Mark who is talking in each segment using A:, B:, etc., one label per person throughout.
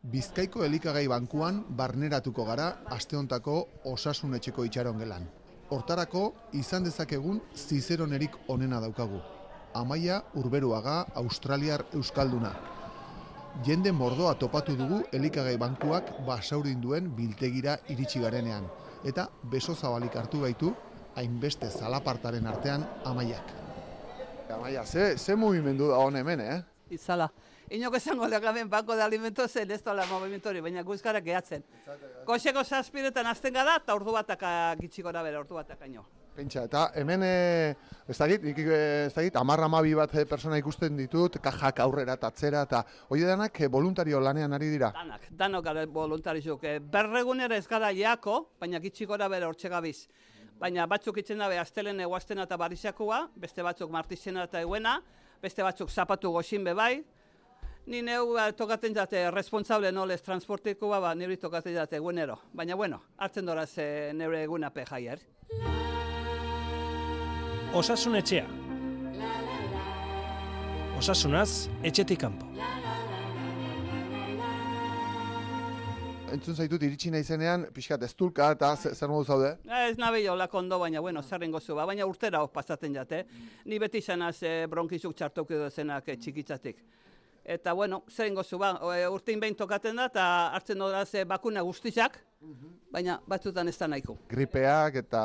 A: Bizkaiko elikagai bankuan barneratuko gara asteontako Osasun etxeko itxaron gelan. Hortarako izan dezakegun zizeronerik onena daukagu. Amaia Urberuaga, australiar euskalduna. Jende mordoa topatu dugu elikagai bankuak basaurin duen biltegira iritsi garenean. Eta beso zabalik hartu gaitu, hainbeste zalapartaren artean Amaiak. Amaia, ze mugimendu da hon hemen,
B: Izala. Inoko esango legamen banko de alimentos ez dola movimentori, baina guzkara gehatzen. Goxeko zazpiretan azten gara, eta ordu bataka gitxikora bera, ordu batakaino.
A: Pentsa, eta hemen, ez dakit, 10-12 bat persona ikusten ditut, kajak aurrera eta atzera, eta hori danak voluntario lanean ari dira?
B: Danok gara voluntarizuk. Berregunera ez gara jako, baina gitxikora bera hortxe gabiz. Baina batzuk itzen dabe astelen eguaztena eta barizakua, beste batzuk martizena eta eguena, beste batzuk zapatu goxin bebai. Ni neu tokaten jate responsable nolez transportikoa, nire tokaten jate egunero. Baina bueno, hartzen doraz nire egunape jaier.
C: Osasun etxea. Osasunaz, etxetik kanpo.
A: Entzun zaitut iritsi naizenean, pixkat eztulka eta zer modu zaude?
B: Ez nabe jolak ondo, baina bueno, zerrengo zu, baina urtera pasatzen jate. Ni beti izanaz bronkizuk txartoki dozenak txikitzatik. Eta bueno, zerrengo zu, urtein behin tokaten da, eta hartzen doraz bakuna guztizak, baina batzutan ez da nahiko.
A: Gripeak eta...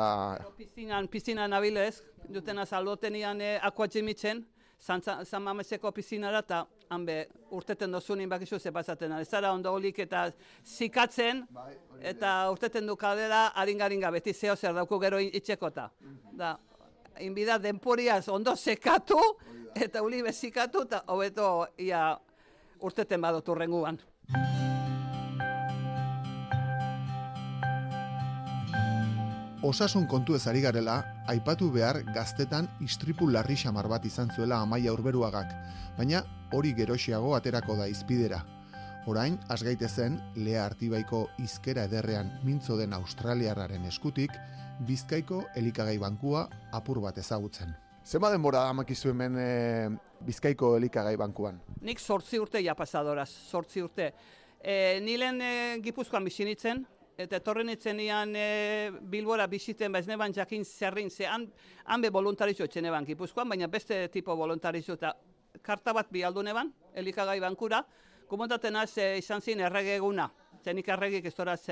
B: Pizinan nabilez, dutena zaldotenian akuatximitzen, San Mameseko pizinara, eta hanbe urteten dozunin bakizu ze pasaten. Ez zara ondo holik eta zikatzen, eta urteten du kaldera haringaringa beti zeo zer dauku gero itxekota. Da, inbida denporiaz ondo sekatu, eta uli bezikatu, eta hobeto ia urteten badot urrenguan.
A: Osasun kontu ez ari garela, aipatu behar gaztetan istripu larri xamar bat izan zuela Amaia Urberuagak, baina hori geroxiago aterako da izpidera. Orain, asgaitezen, Lea Artibaiko hizkera ederrean mintzo den australiarraren eskutik, Bizkaiko elikagai bankua apur bat ezagutzen. Zenba denbora amakizu hemen Bizkaiko elikagai bankuan?
B: Nik 8 urte ja pasadoraz, 8 urte. Nilen Gipuzkoan bizinitzen, eta etorren itzenian Bilbora biziten, ez neban jakin zerrin, ze hanbe voluntarizo etxen eban Gipuzkoan, baina beste tipo voluntarizo eta karta bat bialdu neban, elikagai bankura, komontaten az izan zin errege eguna, zenik erregik ez doraz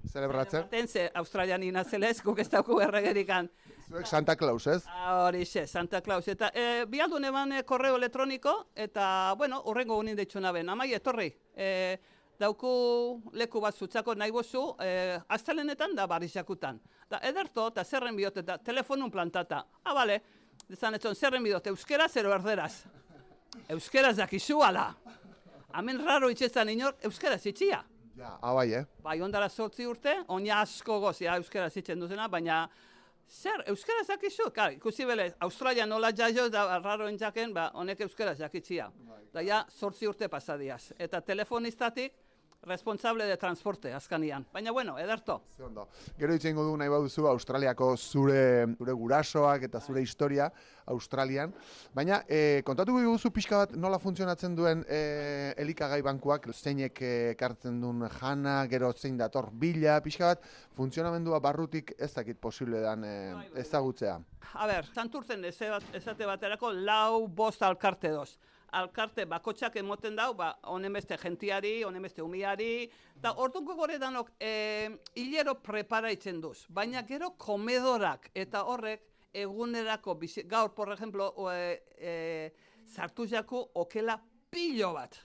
A: Zelebratzen?
B: Ze Australian inazelez, guk ez dauku erregerikan.
A: Zuek Santa Claus, ez?
B: Horixe, Santa Claus. Eta bialdu neban korreo elektroniko, eta, bueno, horrengo unin deitxuna ben. Amai, etorri, dauku leku bat zutzako nahi bozu, astelenetan da barizakutan. Da, ederto, eta zerren bihot, eta telefonun plantata. Bale, dezan etzon, zerren bihot, euskeraz ero erderaz. Euskeraz dakizu ala. Hemen raro itxezan inor, euskeraz itxia.
A: Ja, bai,
B: Bai, ondara 8 urte, oina asko gozia euskeraz itzen duzena, baina zer, euskeraz dakizu? Ikusi bele, Australia nola jaio da raroen jaken, honek euskeraz jakitzia. Da ja, 8 urte pasadiaz. Eta telefonistatik, responsable de transporte, azkanian. Baina, bueno, ederto.
A: Ondo. Gero itzengo du nahi baduzu Australiako zure gurasoak eta zure historia Australian. Baina, kontatuko diguzu pixka bat nola funtzionatzen duen elikagai bankuak, zeinek ekartzen duen jana, gero zein dator bila, pixka bat, funtzionamendua barrutik ez dakit posible dan ezagutzea.
B: A ber, santurtzen ezate baterako 4-5 alkarte doz. Alkarte bakotxak emoten dau, honen beste gentiari, honen beste umiari, eta orduko gore danok hilero preparaitzen duz. Baina gero komedorak eta horrek egunerako, gaur, por ejemplo, sartu jaku okela pilo bat.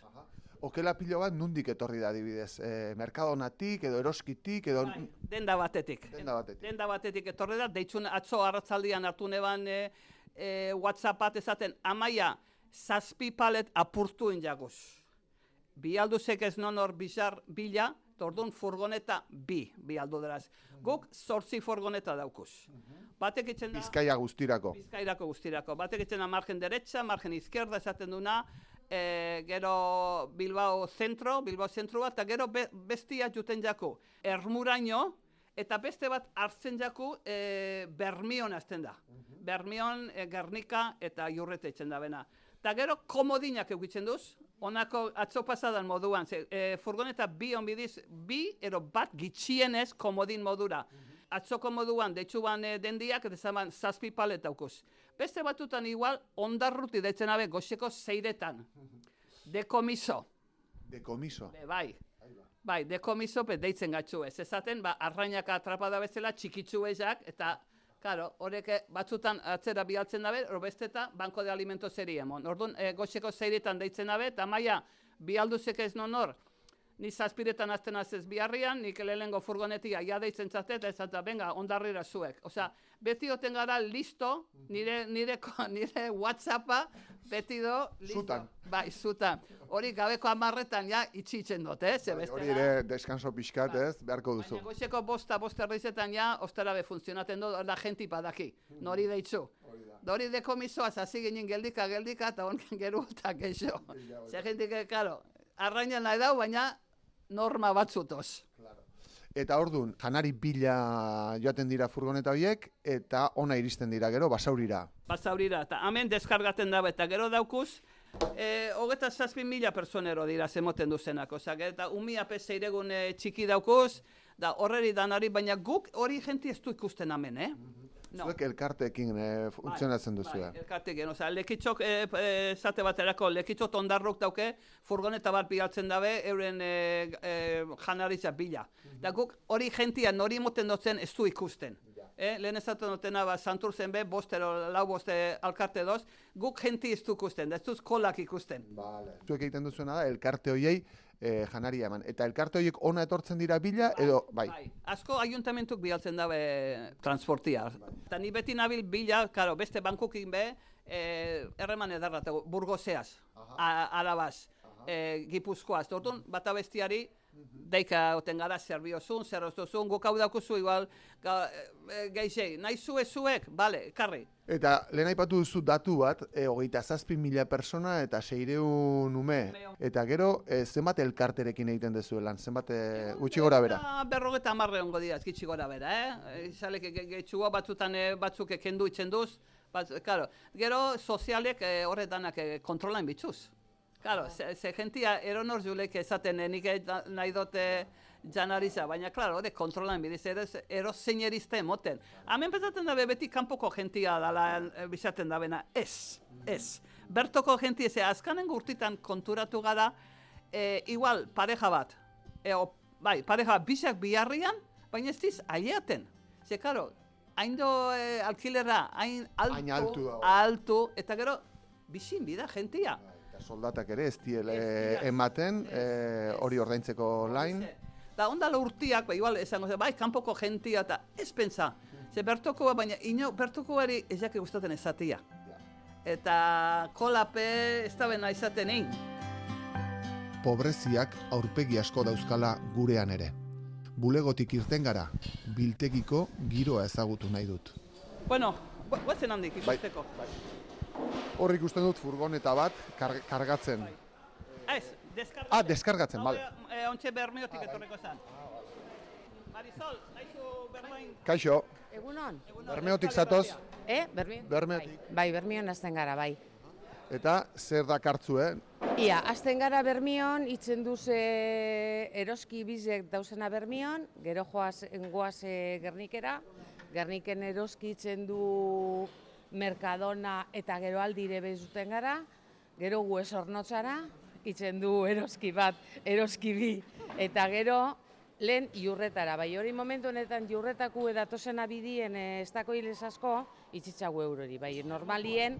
A: Okela pilo bat nundik etorri da adibidez? Merkadonatik edo eroskitik edo...
B: Denda batetik. Denda batetik etorri da, deitzun atzo arratzaldian hartu neban WhatsApp bat esaten, Amaia, 7 palet apurtu injaguz. Bialduzek ez nonor bizar bila, tordun furgoneta bialdu deraz. Guk 8 furgoneta daukuz. Batek itzen da...
A: Bizkaia guztirako.
B: Bizkairako guztirako. Batek itzen da margen derecha, margen izquierda esaten duna, gero Bilbao zentro bat, eta gero bestia juten jaku. Ermuraino, eta beste bat hartzen jaku Bermion azten da. Bermion, Gernika eta Iurrete itzen da bena. Eta gero komodinak eukitzen duz, Honako atzo pasadan moduan, furgoneta bi onbidiz, bi ero bat gitxienez komodin modura. Atzoko moduan, deitzuban dendiak, eta zaman zazpi palet daukuz. Beste batutan igual, ondarruti deitzen abe, goxeko zeiretan. Dekomiso.
A: Dekomiso.
B: Bai, dekomiso deitzen gatzu ez. Ezaten, arrainaka atrapada bezala, txikitzu ezak, eta, karo, horrek batzutan atzera bialtzen dabe, besteta, banko de alimento zeri emon. Orduan, goxeko zeiretan deitzen dabe, eta maia, bialduzek ez non hor, ni zazpiretan azten azez biharrian, nik lehengo furgonetia ja deitzen zate, eta ez eta, venga, ondarrira zuek. Osea, beti oten gara listo, nire WhatsAppa, beti do, listo.
A: Zutan.
B: Bai, zutan. Hori gabeko 10etan ja itxitzen dut,
A: Hori ere deskanso pixkat, ez, beharko duzu.
B: Baina goizeko bost erdizetan ja, ostarabe funtzionaten dut, da jenti padaki, nori deitzu. Hori dekomisoaz, hasi ginen geldika, eta honen geru eta geixo. Zer jentik, karo, arrainan nahi dau, baina norma batzutoz.
A: Eta orduan, janari bila joaten dira furgoneta horiek, eta ona iristen dira gero, basaurira.
B: Basaurira, eta hemen deskargaten dabe, eta gero daukuz, 27.000 personero dira zemoten duzenak, eta 1.000 peseiregun txiki daukuz, da horreri danari, baina guk hori jenti ez du ikusten hemen, No.
A: Zuek elkarteekin funtzionatzen duzu.
B: Bai, elkarteekin, lekitzok, zate baterako, lekitzok ondarrok dauke, furgoneta bat bialtzen dabe, euren janaritza bila. Da guk hori jentia nori moten dutzen ez du ikusten. Lehen ezaten dutena, Santurtzen be, lau boste alkarte doz, guk jenti ez du ikusten, da ez duz kolak ikusten.
A: Zuek egiten duzuena da, elkarte horiei janaria eman. Eta elkarte horiek ona etortzen dira bila, edo, bai.
B: Asko ayuntamentuk bialtzen dabe transportia. Eta ni beti nabil bila, karo, beste bankukin be, erreman edarratago, Burgoseaz, Arabaz, Gipuzkoaz. Orduan, bata bestiari, deika oten gara zerbiozun, zerroztuzun, guk hau daukuzu igual, geixei, nahi zuek, bale, karri.
A: Eta lehen aipatu duzu datu bat, 27.000 persona eta 600 ume. Eta gero, zenbat elkarterekin egiten dezuelan, zenbat gutxi gora bera?
B: 50 ongo dira, gitxi gora bera, Izalek gehitxua batzutan batzuk kendu itzen duz, gero sozialek horretanak kontrolain bitxuz. Claro, ze jentia eronor julek esaten nik nahi dote janariza, baina, claro, hori kontrolan bidiz, ero zeinerista emoten. Hemen pezaten dabe beti kanpoko jentia dala bizaten dabena, ez. Bertoko jentia, azkanengo urtitan konturatu gara, igual pareja bat, pareja bisak biharrian, baina ez diz aileaten. Ze, claro, hain do alkilera, hain altu, eta gero, bizin bida jentia.
A: Soldatak ere ez diele ematen, hori ordaintzeko lain.
B: Da ondala urtiak, igual esango, kanpoko jentia eta ez pentsa. Ze bertokoa, baina bertokoari ez jake gustaten ezatia. Eta kolape ez da bena izaten egin.
A: Pobreziak aurpegi asko dauzkala gurean ere. Bulegotik irten gara, biltegiko giroa ezagutu nahi dut.
B: Bueno, guazen handik ikusteko.
A: Hor ikusten dut furgoneta bat kargatzen.
B: Ez, deskargatzen.
A: Deskargatzen, bale.
B: Ontxe Bermeotik etorreko zan. Marisol, naizu Bermeoin.
A: Kaixo.
D: Egunon.
A: Bermeotik zatoz.
D: Bermeon?
A: Bermeotik.
D: Bai, Bermeon hasten gara, bai.
A: Eta zer dakartzu,
D: Ia, hasten gara Bermeon, itzen duz eroski bizek dauzena Bermeon, gero goaz Gernikera, Gerniken eroski itzen du Mercadona eta gero aldire bezuten gara, gero gu esornotzara, itzen du eroski bat, eroski bi, eta gero lehen iurretara. Bai, hori momentu honetan iurretaku edatozena bidien ez dako hilez asko, itzitzagu eurori. Bai, normalien,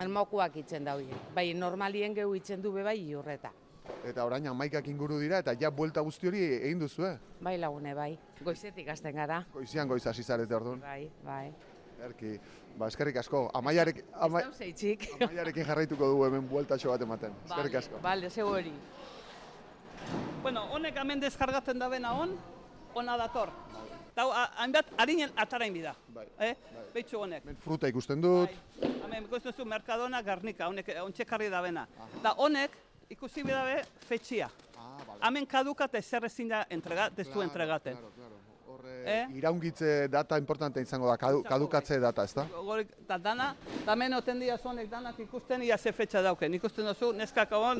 D: almokuak itzen daude. Bai, normalien gehu itzen du bebai iurreta.
A: Eta orain 11 inguru dira, eta ja buelta guzti hori egin duzu,
D: Bai, lagune, bai. Goizetik hasten gara.
A: Goizian goiz hasi zarete orduan.
D: Bai.
A: Erki, eskerrik asko, Amaiarekin jarraituko dugu hemen bueltatxo bat ematen. Eskerrik asko.
D: Bale, zeu hori.
B: Bueno, honek hemen deskargatzen da bena ona dator. Eta hainbat, harinen atarain bida. Beitxu honek.
A: Hemen fruta ikusten dut.
B: Hemen ikusten zu Mercadona, Garnika, honek ontsekarri da bena. Da honek, ikusi bidabe, fetxia. Hemen kadukat ezer ezin da destu entregaten.
A: Iraungitze data importante izango da, kadukatze data, ez da?
B: Eta dana, hemen oten dira zonek danak ikusten, ia ze fetxa dauken. Ikusten duzu, neskak hor,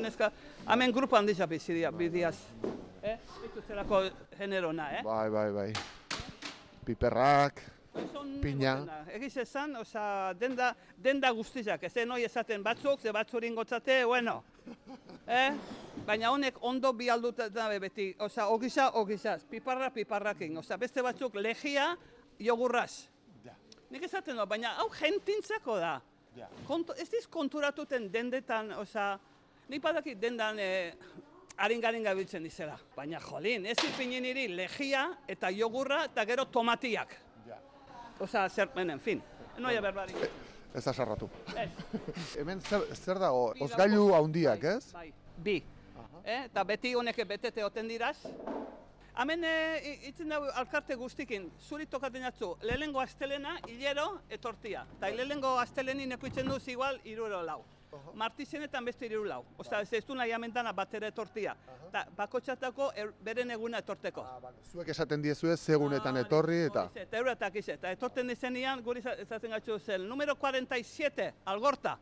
B: hemen grupo handisa bidiaz. Itu zelako generona,
A: Bai. Piperrak, pina.
B: Egiz esan, denda guztizak, ez noi esaten batzuk, ze batzurin gotzate, bueno. Baina honek ondo bi alduta dabe beti, ogizaz, piparrakin. Beste batzuk legia, jogurraz. Nik esaten do, baina hau jentintzako da. Ez diz konturatuten dendetan, nik badakit dendan haringarin gabiltzen dizela. Baina jolin, ez ipinen niri legia eta jogurra eta gero tomatiak. En fin, noia berbarik.
A: Ez asarratu. Hemen zer dago, ozgailu handiak, ez?
B: Bai, bi. Eta beti honek betete oten diraz. Hemen itzen dago alkarte guztikin, zuri tokaten jatzu, lehenengo astelena, hilero, etortia. Eta lehenengo astelenin ekuitzen duz igual, 3 Martizenetan beste 3 ez du nahi amentana batera etortia. Eta bakotxatako beren eguna etorteko.
A: Zuek esaten diezue segunetan etorri eta...
B: Eta euratak izet. Eta etorten dizenian, guri ezaten gatzu zen, número 47, Algorta.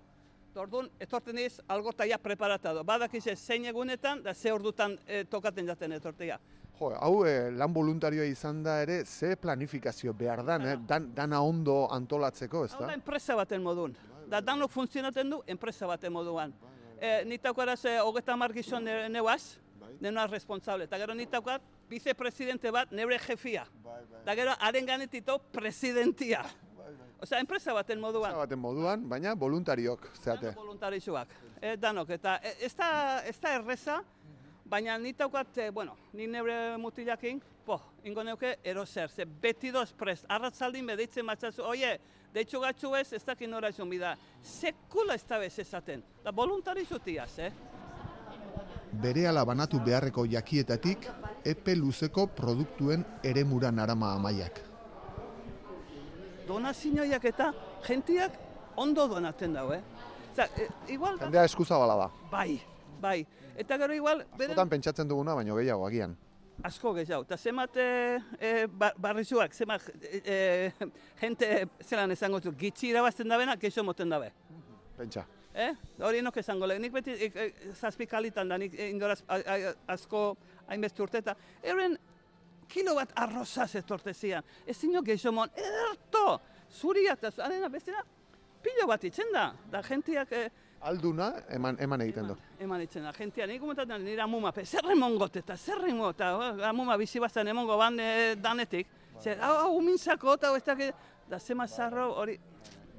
B: Orduan, etorten diz, Algorta ja preparatado. Badak izet, zein egunetan, da ze ordutan tokaten jaten etortia.
A: Jo, hau lan voluntarioa izan da ere, ze planifikazio behar dan, dana ondo antolatzeko, ez da?
B: Hau da enpresa baten modun. Da danok funtzionaten du enpresa baten moduan. Nitaukaraz 30 gizon neuaz, nenuaz responsable. Eta gero nitaukat vicepresidente bat neure jefia. Eta gero haren ganetito presidentia. Enpresa baten moduan.
A: Enpresa baten moduan, baina voluntariok, zeate.
B: Danok voluntarizuak, danok. Eta ez da erreza, baina nitaukat, ni neure mutilakin, ingo neuke eroser, ze beti doz prest, arratzaldin bedeitzen matzazu, oie, deitxu gatzu ez dakin nora izun bida, sekula ez da bez ezaten, da voluntarizutiaz,
A: Berehala banatu beharreko jakietatik, epe luzeko produktuen eremura narama Amaiak.
B: Donazioiak eta jentiak ondo donaten dau,
A: Jendea eskuzabala da.
B: Bai. Eta gero igual...
A: Askotan pentsatzen duguna, baino gehiago, agian.
B: Asko gehiago. Eta zemat barrizuak, zemat jente zelan esango zu, gitxi irabazten dabena, keixo moten dabe.
A: Pentsa.
B: Hori nok esango lehen. Nik beti zazpikalitan da, nik indoraz asko hainbeste urteta. Euren kilo bat arrozaz etorte zian. Ez zinok geixo mon, erto! Zuria eta arena bestena, pilo bat itzen da. Da jentiak...
A: Alduna eman egiten du.
B: Eman egiten da. Gentia, nik komentatzen nire amuma, zer emongot eta zer emongot, amuma bizi bazan emongo ban danetik. Zer, hau mintzako eta ez dakit, da zema zarro hori...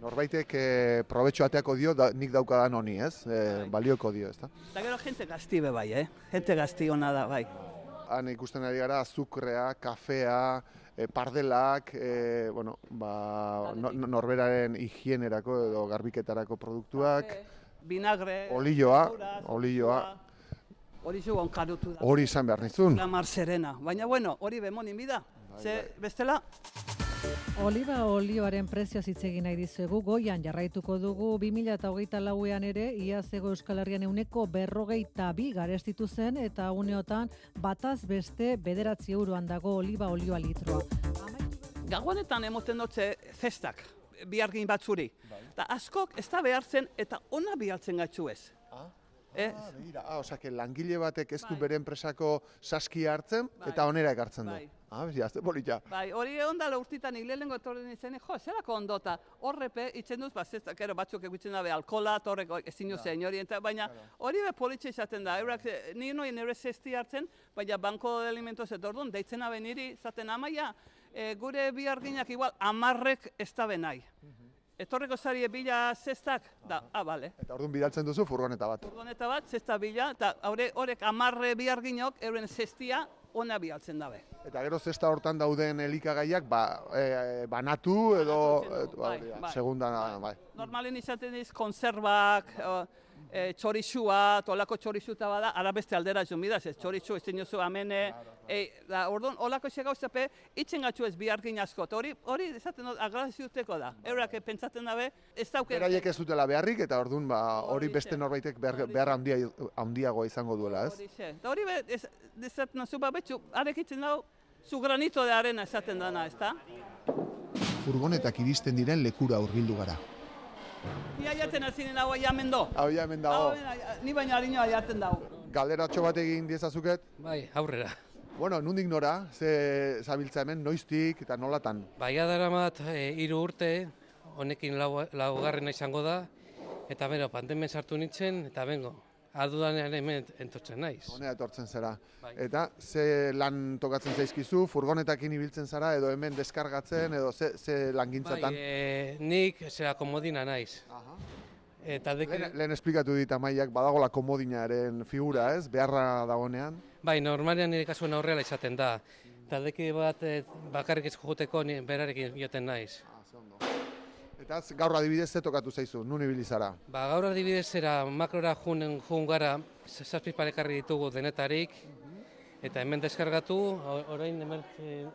A: Norbaitek probetxo ateako dio, nik daukadan honi, ez? Balioko dio, ez da?
B: Eta gero jente gazti be bai, Jente gazti hona da, bai.
A: Han ikusten ari gara, azukrea, kafea, pardelak, norberaren higienerako edo garbiketarako produktuak.
B: Vinagre,
A: olioa.
B: Hori zu onkarutu da.
A: Hori izan behar nizun.
B: La Mar Serena. Baina hori bemonin bida. Ze bestela...
E: Oliba olioaren prezioaz hitz egin nahi dizuegu, goian jarraituko dugu 2024an ere, iazego Euskal Herrian 42 garestitu zen, eta uneotan bataz beste 9 euroan dago oliba olioa litroa.
B: Gagonetan emoten dutze zestak, bihargin batzuri. Eta askok ez da behartzen eta ona bihartzen gatzu ez.
A: Osea, langile batek ez du bere enpresako saskia hartzen eta onera ekartzen du. Azte polita.
B: Bai, hori ondala urtitan lehenengo etorren izenik, zelako ondota, horrepe itzen duz, batzuk egutzen dabe alkola, horrek ezin duz hori, baina hori be politxe izaten da, eurak nire noien nire zesti hartzen, baina banko de alimentos etordun, deitzen abe niri, zaten Amaia, gure biharginak igual 10 ez da benai. Etorreko zari bila zestak, da, bale.
A: Eta orduan bidaltzen duzu furgoneta bat.
B: Furgoneta bat, zesta bila, eta horrek 10 biharginok euren zestia ona bihaltzen dabe.
A: Eta gero zesta hortan dauden elikagaiak banatu edo segundan, bai.
B: Normalen izaten diz konservak, txorixua, olako txorixuta bada, ara beste aldera joan bidaz, txorixu, ez dinozu amene, orduan, olako xe gauzape, itzen gatzu ez bihargin asko, hori esaten dut, agraziuteko da. Eurak pentsatzen dabe, ez dauke...
A: Beraiek ez dutela beharrik, eta orduan hori beste norbaitek behar handiagoa izango duela, ez?
B: Hori xe, eta hori esaten duzu, betxu, arek itzen dago, Zu granito de arena esaten dana, ezta?
A: Furgonetak iristen diren lekura hurbildu gara.
B: Ia jaten azinen hau jamen do.
A: Hau ja hemen dago.
B: Ni baina harinoa jaten dau.
A: Galderatxo bat egin diezazuket.
F: Bai, aurrera.
A: Bueno, nundik nora, ze zabiltza hemen, noiztik eta nolatan?
F: Baia daramat 3 urte, honekin laugarrena izango da, eta bero, pandemen sartu nintzen, eta bengo, adudanean hemen entotzen naiz.
A: Honea etortzen zara.
F: Bai.
A: Eta ze lan tokatzen zaizkizu, furgonetakin ibiltzen zara, edo hemen deskargatzen, edo ze langintzatan?
F: Bai, nik zera komodina naiz.
A: Aha.
F: Eta
A: Lehen esplikatu dit Amaiak badagola komodinaren figura, ez? Beharra dagonean.
F: bai, normalean nire kasuen aurreala izaten da. Eta deki bat bakarrik ez joteko berarekin joten naiz.
A: Eta gaur adibidez ze tokatu zaizu, nun ibili zara?
F: Ba, gaur adibidez zera makrora jun gara, 7 parekarri ditugu denetarik, eta hemen deskargatu, orain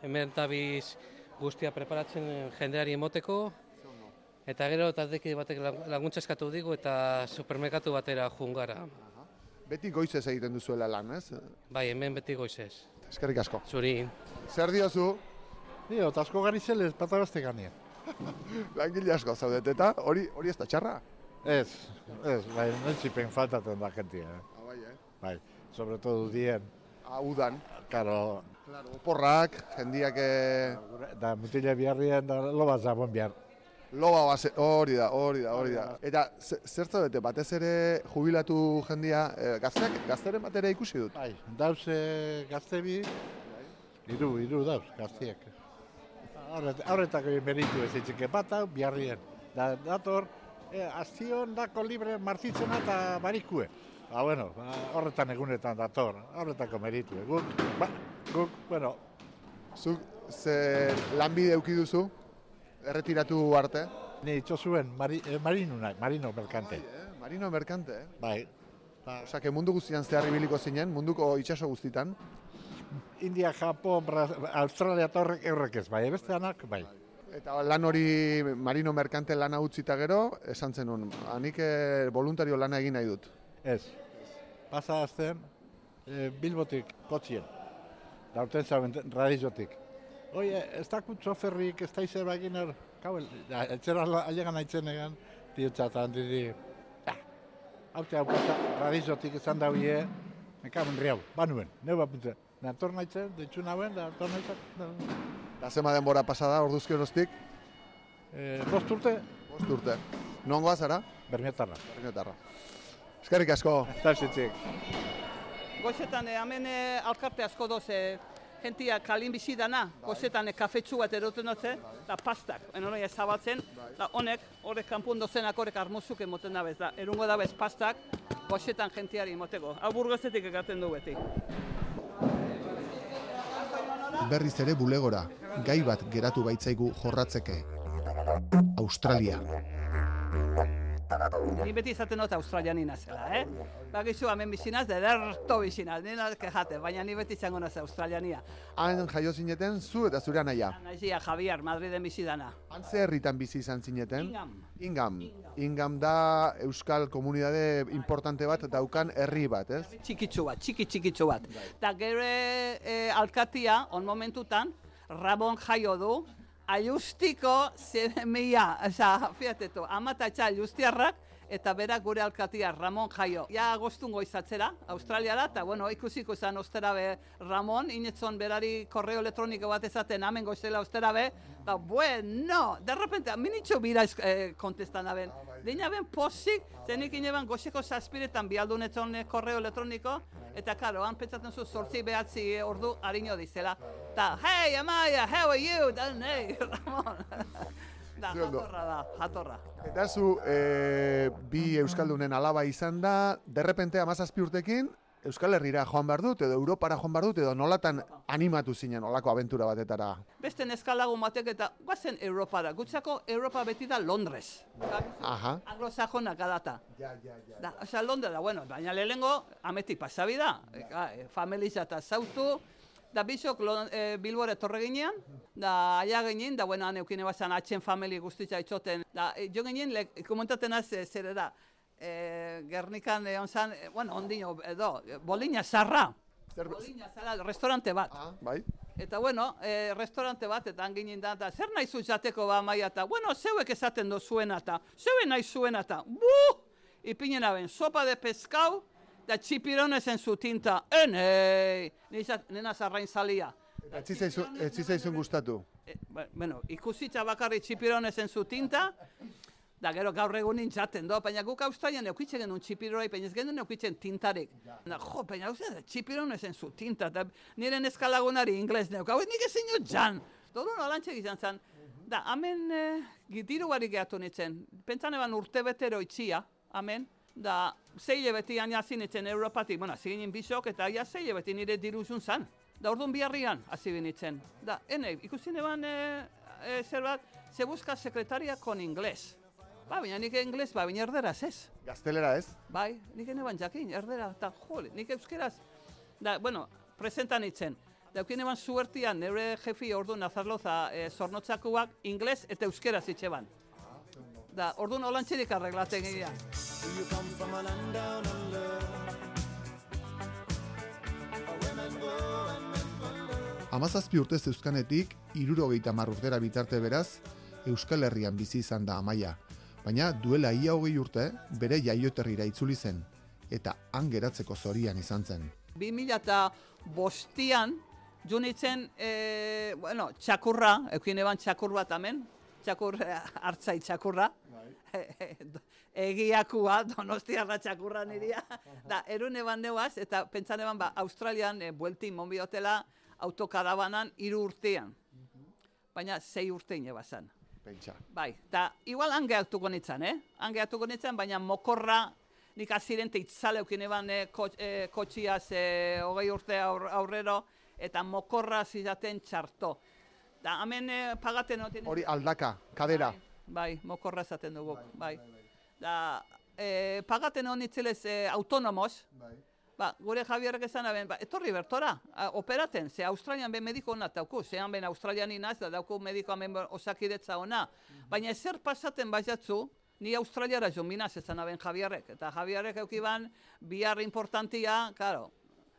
F: hemen tabiz guztia preparatzen jendeari emoteko, eta gero eta deki batek laguntza eskatu digu eta supermerkatu batera jun gara.
A: Beti goizez egiten duzuela lan, ez?
F: Bai, hemen beti goizez.
A: Eskerrik asko.
F: Zuri.
A: Zer diozu?
G: Dio, eta asko gari zelez, patagazte ganien.
A: Langile asko zaudet, eta hori ez da txarra?
G: Ez, bai, nentzipen faltaten da jentia.
A: Bai,
G: Bai, sobre todo dien.
A: Udan.
G: Claro,
A: Oporrak, jendiak
G: da mutile biharrien da loba zabon bihar.
A: loba base, hori da. Eta zer zaudete, batez ere jubilatu jendia, gazteren batera ikusi dut?
G: Bai, dauz gaztebi, iru dauz gaztiek. Horretako meritu ez itxike bata, biharrien. Dator, aztion dako libre martitzena eta barikue. Bueno, horretan egunetan dator, horretako meritu. Guk, bueno.
A: Zuk ze lanbide eduki duzu, erretiratu arte?
G: Ni itxosuen marino merkante.
A: Marino merkante,
G: Bai.
A: Osea, mundu guztian zehar ibiliko zinen, munduko itsaso guztitan.
G: India, Japon, Australia eta horrek ez, bai, besteanak, bai.
A: Eta lan hori marino merkante lana utzita gero, esan zenun, nik voluntario lana egin nahi dut.
G: Ez. Pasa azten, Bilbotik, kotxien. Daurten zauen radizotik. Oie, ez dakut txoferrik, ez da izer baginer, kabel, etxera alegan haitzen egan, diotzatan didi, hau radizotik esan dauie, mekamen riau, banuen, neu bapuntzen. Nator nahitzen, ditxu nauen, nator nahitzen.
A: Da zema denbora pasada, orduzki oroztik?
G: 5 urte,
A: 5 urte. Nongoa zara?
G: Bermiotarra.
A: Bermiotarra. Eskerrik asko.
G: Eta zitzik.
B: Goizetan hemen alkarte asko doz, jentia kalin bizi dana, goizetan kafetxu bat eroten dutze, eta pastak, enoia zabaltzen, eta horrek kanpun dozenak horrek armuzuk emoten dabez, da erungo dabez pastak, goizetan jentiari emoteko. Hau Burgosetik egaten du beti.
A: Berriz ere bulegora, gai bat geratu baitzaigu jorratzeke. Australia.
B: Ni beti izaten dut Australian inazela, Bagizu hemen bizinaz, ederto bizinaz, nina kejate, baina ni beti izango naz Australiania.
A: Han jaio zineten zu eta zure anaia.
B: Naizia Javier, Madriden bizi dana.
A: Han ze herritan bizi izan zineten?
B: Ingam.
A: Ingam da euskal komunitate importante bat daukan herri bat, ez?
B: Txikitzu bat. Eta gero alkatia, on momentutan, Ramon jaio du, Aiustiko zemia, fiatetu, amatatxa aiustiarrak, eta berak gure alkatia Ramon jaio. Ja agostungo izatzera, Australiara, eta bueno, ikusiko izan ostera be Ramon, inetzon berari korreo elektroniko bat ezaten amen goizela ostera be, eta bueno, de repente, minitxo bira kontestan aben. Dina ben posik, zenik ineban goizeko zazpiretan bialdunetzon korreo elektroniko, eta karo, han pentsatzen zu 8-9 ordu harino dizela. Ta, hey, Amaia, how are you? Da, nei, Ramon. Da, jatorra.
A: Eta zu, bi euskaldunen alaba izan da, derrepente 17 urtekin, Euskal Herrira joan behar dut, edo Europara joan behar dut, edo nolatan animatu zinen olako abentura batetara?
B: Beste neskalagun batek eta guazen Europara. Gutzako Europa beti da Londres.
A: Aha.
B: Anglosajonak adata. Da, osea, Londres da, bueno, baina lehengo ametik pasabi da. Familiza eta zautu. Da bizok Bilbora etorre ginean, da aia ginen, da bueno, neukine bazan atxen famili guztitza itxoten. Da, jo ginen, komentaten az zer da, Gernikan egon zan, bueno, ondino, edo, Bolina Zarra. Bolina Zarra, restaurante bat.
A: Bai.
B: Eta bueno, restaurante bat, eta anginin da, eta zer nahi zu jateko ba Amaia, eta bueno, zeuek esaten dozuena, eta zeue nahi zuena, eta ipinen aben, sopa de pescau, da txipirones en su tinta, nena zarrain zalia.
A: Ez zizaizun gustatu?
B: Bueno, ikusitza bakarri txipirones en su tinta, da gero gaur egunin jaten do, baina guk Australian eukitzen genuen txipiroi, baina ez genuen eukitzen tintarik. Jo, baina txipirones en su tinta, eta nire neskalagunari ingles neuk, hau nik ezin jo jan. Doru nolantxek izan zen. Da, hemen diru barik gehatu nintzen. Pentsan eban urte betero itxia, hemen. Da, 6 hilabetian jazin nintzen Europatik, bueno, ziginin bisok, eta ja 6 hilabeti nire diru zun zan. Da, orduan biharrian hasi binitzen. Da, ikusten eban zer bat, se busca sekretaria con ingles. Ba, baina nik ingles, baina erderaz ez.
A: Gaztelera ez?
B: Bai, nik eban jakin, erdera, eta jole, nik euskeraz. Da, bueno, presentan itzen. Da, eukin eban suertian, neure jefi orduan Nazarloza zornotzakuak ingles eta euskeraz itxeban. Da, orduan holantxerik arreglaten gira.
A: 17 urte zeuzkanetik, 70 urtera bitarte beraz, Euskal Herrian bizi izan da Amaia. Baina duela ia 20 urte, bere jaioterrira itzuli zen, eta han geratzeko zorian izan zen.
B: 2005an, junitzen, txakurra, eukin eban txakur bat hemen, txakur hartzai txakurra, egiakua, Donostiarra txakurra niria, da, erun eban neuaz, eta pentsan eban Australian, bueltin monbiotela, autokarabanan 3 urtean, baina 6 urtein ebazan.
A: Pentsa.
B: Bai, eta igual han gehatuko nintzen, baina mokorra, nik azirente itzaleukin eban kotxiaz 20 urte aurrero, eta mokorra zizaten txarto. Da, hemen pagaten noten...
A: Hori aldaka, kadera.
B: Bai, mokorra zaten dugu, bai. Da, pagaten honitzelez autonomos, ba, gure Javierrek esan aben, etorri bertora, operaten, ze Australian ben mediko hona dauku, zean ben Australian inaz, da dauku mediko hemen osakidetza hona. Baina ezer pasaten baiatzu, ni Australiara jominaz esan aben Javierrek, eta Javierrek eukiban bihar importantia, karo,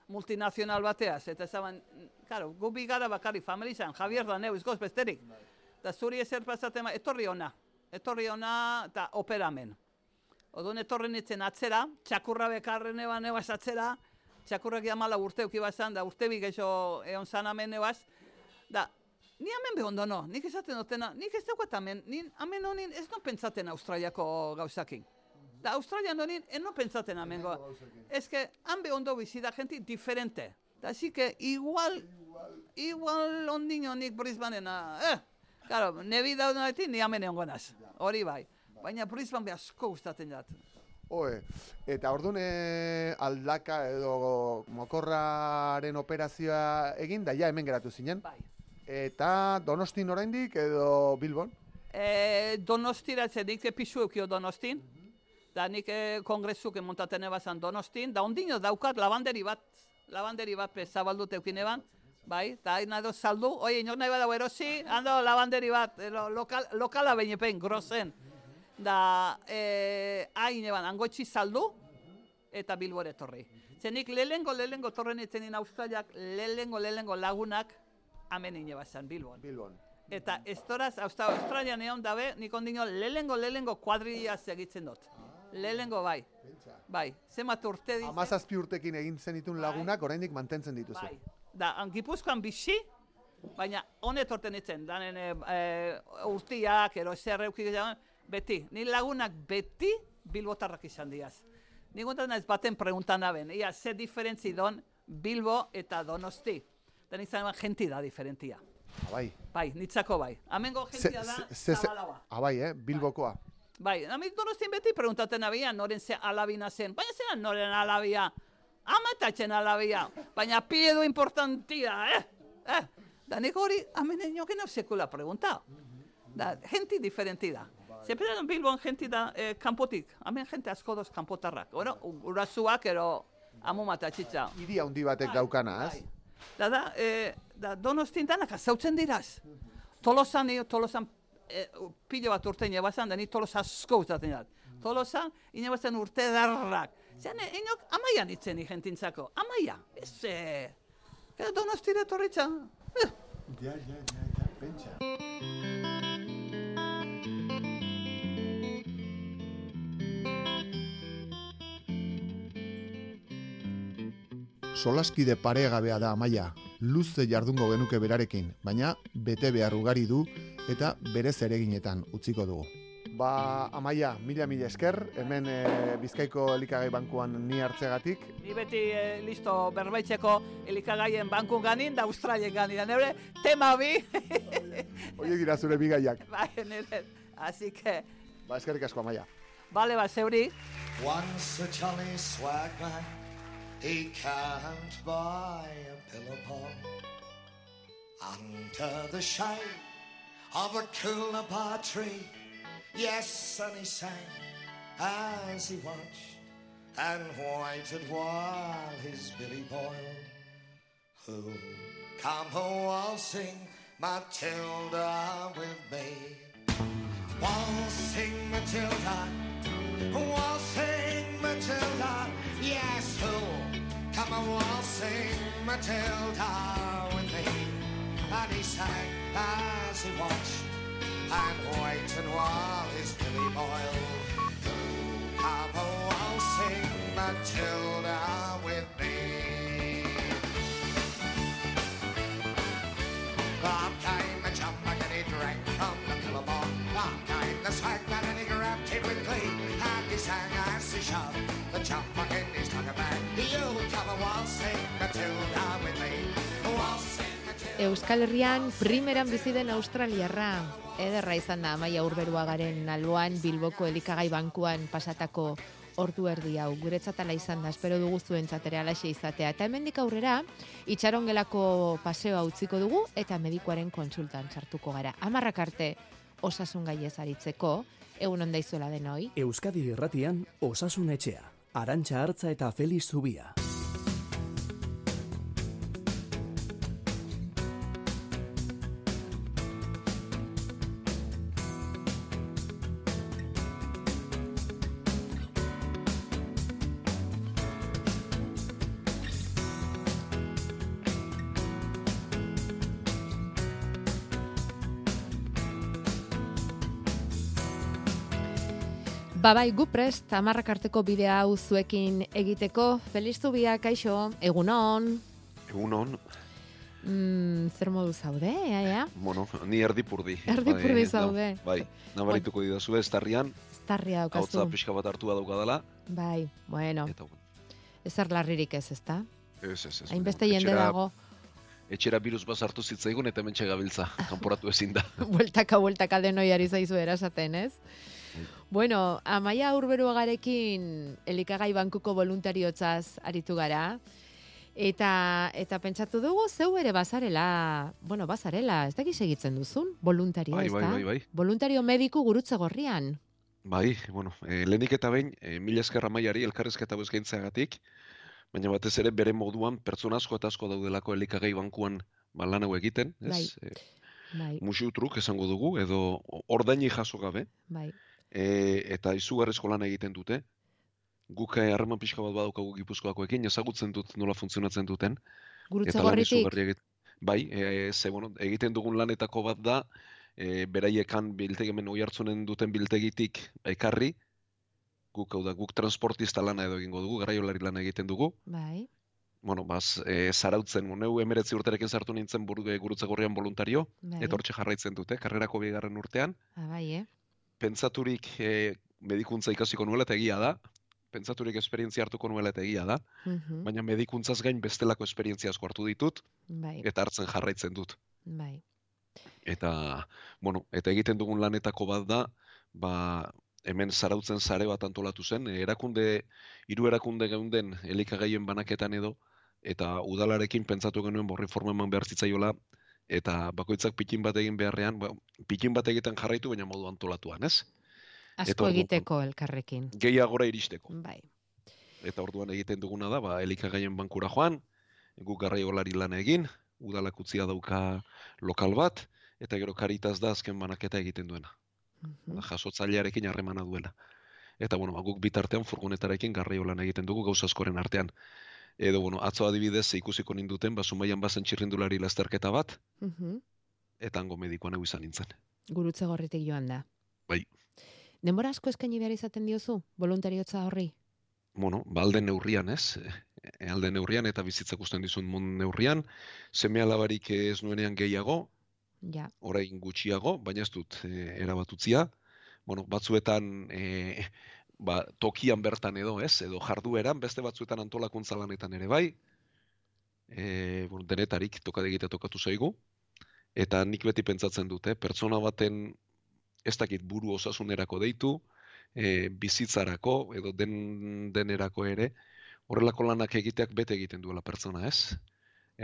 B: multinazional bateaz, eta esaban, karo, gu bigara bakari familizan, Javier da neu, izgoz besterik. Da zuri ezer pasaten, etorri hona, eta operamen. Odun etorri nintzen atzera, txakurra bekarren eban ebaz atzera, txakurrak jamala urte eukibazan, da urte bigeixo egon zan amen ebaz. Da, ni amen behondo no, nik esaten dutena, nik ez daukat amen, amen honin ez no pentsaten Australiako gauzakin. Da, Australian honin ez no pentsaten amen goa. Ez que, han behondo bizida gente diferente. Da, así que igual ondin honik Brisbanena, claro, nebi daudenetik ni amen egon gonaz, hori bai. Baina Brisbane asko gustatzen jat.
A: Eta orduan aldaka edo mokorraren operazioa egin, da ja hemen geratu zinen.
B: Bai.
A: Eta Donostin oraindik edo Bilbon?
B: Donostira nik pisu eukio Donostin. Da nik kongresuk montaten ebazan Donostin. Da ondino daukat lavanderi bat zabaldut eukin eban. Bai, eta hain nahi saldu. Oie, inok nahi badago erosi, hando lavanderi bat, lokala behinepen, grozen. Da, hain eban, angotxi saldu, eta Bilbore etorri. Zenik lehengo torren etzenin Australiak, lehengo lagunak, hemen inebazan, Bilbon. Eta estoraz, Australian egon dabe, nik ondino lehengo kuadrilla segitzen dut. Lehengo bai. Bai, zemat urte ditzen.
A: 17 urtekin egin zenitun lagunak, oraindik mantentzen dituzu.
B: Bai, da, Gipuzkoan bizi, baina honet orten itzen, danen urtiak, ero zerreukik, beti, ni lagunak beti bilbotarrak izan diaz. Nik guntan ez baten preguntan aben, ia, ze diferentzi don Bilbo eta Donosti. Da nik zan genti da diferentia.
A: Bai.
B: Bai, nitzako bai. Amengo gentia da Zabalaua.
A: Bai, Bilbokoa.
B: Bai, amik Donostin beti preguntaten abian, noren ze alabina zen. Baina zelan noren alabia. Amatatzen alabia. Baina piedo importantia, Da nik hori, amen enoken hau sekula pregunta. Da, genti diferenti da. Zepera Bilbon genti da kanpotik. Hemen jente asko doz kanpotarrak. Bueno, urazuak ero amu matatxitza.
A: Hiri handi batek daukana, ez?
B: Da Donostin danak azautzen diraz. Tolosan pilo bat urtein ebazan, da ni Tolosa asko uzaten dut. Tolosa, inebazan urte darrak. Zean, inok Amaian itzen jentintzako. Amaia, ez Donostira torritza.
A: Ja, pentsa. Solaskide paregabea da Amaia, luze jardungo genuke berarekin, baina bete behar ugari du eta bere zereginetan utziko dugu. Ba, Amaia, mila esker, hemen Bizkaiko elikagai bankuan ni hartzegatik.
B: Ni beti listo berbaitzeko elikagaien bankun ganin da Australien ganin. Neure tema bi.
A: Oie dira zure bigaiak.
B: Bai, nire. Así que...
A: Ba, eskerrik asko, Amaia.
B: Bale, ba, zeuri.
H: Once a jolly swagman, he can't buy a billabong under the shade of a coolabah tree. Yes, and he sang as he watched and waited while his billy boiled. Who'll come waltzing Matilda with me? Waltzing Matilda, waltzing Matilda. Yes, who'll come waltzing Matilda with me? And he sang as he watched and waited while his billy boiled. Come waltzing Matilda with me. Up came the jumbuck and he drank from the billabong. Up came the swagman and he grabbed it with glee. And he sang as he shoved the jumbuck in his tucker bag. You come waltzing Matilda with me. Waltzing Matilda.
I: Euskal Herrian primeran bizi den australiarra. Ederra izan da Amaia Urberuagaren alboan Bilboko elikagai bankuan pasatako ordu erdi hau. Guretzat ala izan da, espero dugu zuentzat ere halaxe izatea. Eta hemendik aurrera, itxarongelako paseoa utziko dugu eta medikuaren kontsultan sartuko gara. 10 arte osasun gaiez aritzeko, egun on daizuela denoi.
J: Euskadi Irratian Osasun Etxea. Arantxa Artza eta Felix Zubia.
I: Babai, gu prest, 10 arteko bidea hau zuekin egiteko. Feliz Zubia, kaixo, egunon.
K: Egunon.
I: Zer modu zaude, ea?
K: Bueno, ni erdipurdi.
I: Erdipurdi zaude.
K: Bai, nabarituko didazu estarrian.
I: Estarria daukazu.
K: Hautza pixka bat hartua daukadala.
I: Bai, bueno.
K: Eta,
I: ezer larririk ez, ezta?
K: Ez.
I: Hainbeste jende dago.
K: Etxera virus bat sartu zitzaigun eta hementxe gabiltza, kanporatu ezin da.
I: Bueltaka denoi ari zaizu erasaten, ez? Bueno, Amaia Urberuagarekin elikagai bankuko voluntariotzaz aritu gara. Eta pentsatu dugu zeu ere bazarela, ez dakit segitzen duzun, voluntario, ez da?
K: Bai.
I: Voluntario mediku Gurutze Gorrian.
K: Bai, lehenik eta behin, mila esker Amaiari elkarrizketa eskaintzeagatik, baina batez ere bere moduan pertsona asko eta asko daudelako elikagai bankuan lan hau egiten, ez?
I: Bai.
K: Musu truk esango dugu, edo ordaini jaso gabe.
I: Bai.
K: Eta izugarrizko lan egiten dute. Guk harreman pixka bat badaukagu Gipuzkoakoekin, ezagutzen dut nola funtzionatzen duten.
I: Gurutze Gorritik?
K: Bai, egiten dugun lanetako bat da, beraiekan biltegimen oihartzunen duten biltegitik ekarri, guk transportista lana edo egingo dugu, garraiolari lana egiten dugu.
I: Bai.
K: Zarautzen, neu 19 urterekin sartu nintzen Gurutze Gorrian voluntario, eta hortxe jarraitzen dute, karrerako 2. urtean.
I: Bai,
K: Pentsaturik medikuntza ikasiko nuela eta egia da, pentsaturik esperientzia hartuko nuela eta egia da, baina medikuntzaz gain bestelako esperientzia asko hartu ditut, eta hartzen jarraitzen dut.
I: Bai.
K: Eta egiten dugun lanetako bat da, hemen Zarautzen sare bat antolatu zen, hiru erakunde geunden elikagaien banaketan edo, eta udalarekin pentsatu genuen borri forma eman behar zitzaiola, eta bakoitzak pikin bat egin beharrean, pikin bat egiten jarraitu, baina modu antolatuan, ez?
I: Asko egiteko elkarrekin.
K: Gehiagora iristeko.
I: Bai.
K: Eta orduan egiten duguna da, elikagaien bankura joan, guk garraiolari lan egin, udalak utzia dauka lokal bat, eta gero Caritas da azken banaketa egiten duena. Jasotzailearekin harremana duela. Eta guk bitartean furgonetarekin garraio lan egiten dugu gauza askoren artean. Edo, bueno, atzo adibidez ikusiko ninduten, Zumaian bazen txirrindulari lasterketa bat, eta hango medikoan egu izan nintzen.
I: Gurutze Gorritik joan da.
K: Bai.
I: Denbora asko eskaini behar izaten diozu, voluntariotza horri?
K: Bueno, alde neurrian, ez? Alde neurrian eta bizitzak usten dizun neurrian, seme-alabarik ez nuenean gehiago,
I: ja.
K: Orain gutxiago, baina ez dut erabatutzia. Bueno, batzuetan tokian bertan edo, ez? Edo jardueran, beste batzuetan antolakuntza lanetan ere bai. Bueno, denetarik tokatu zaigu. Eta nik beti pentsatzen dute, pertsona baten ez dakit buru osasunerako deitu, bizitzarako edo denerako ere, horrelako lanak egiteak bete egiten duela pertsona, ez?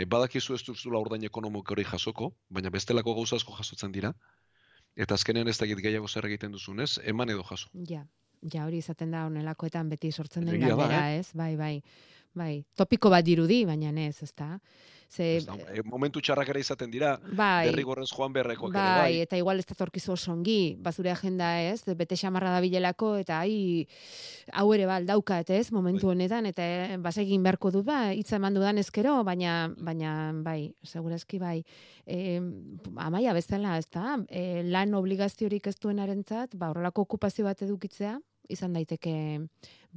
K: Badakizu ez duzula ordain ekonomiko hori jasoko, baina bestelako gauza asko jasotzen dira, eta azkenean ez dakit gehiago zer egiten duzunez, eman edo jaso.
I: Ja, hori izaten da honelakoetan beti sortzen den galdera, ez? Bai. Topiko bat dirudi, baina ez, ezta?
K: Momentu txarrak ere izaten dira, derrigorrez joan beharrekoak ere bai.
I: Eta igual ez datorkizu oso ongi, bazure agenda ez, bete xamarra da bilelako, eta hau ere daukat ez, momentu honetan, eta basegin beharko dut, hitza eman dudan ezkero, baina bai, segurazki bai. Amaia bezala, ez da, lan obligaziorik ez duenarentzat, horrelako okupazio bat edukitzea, izan daiteke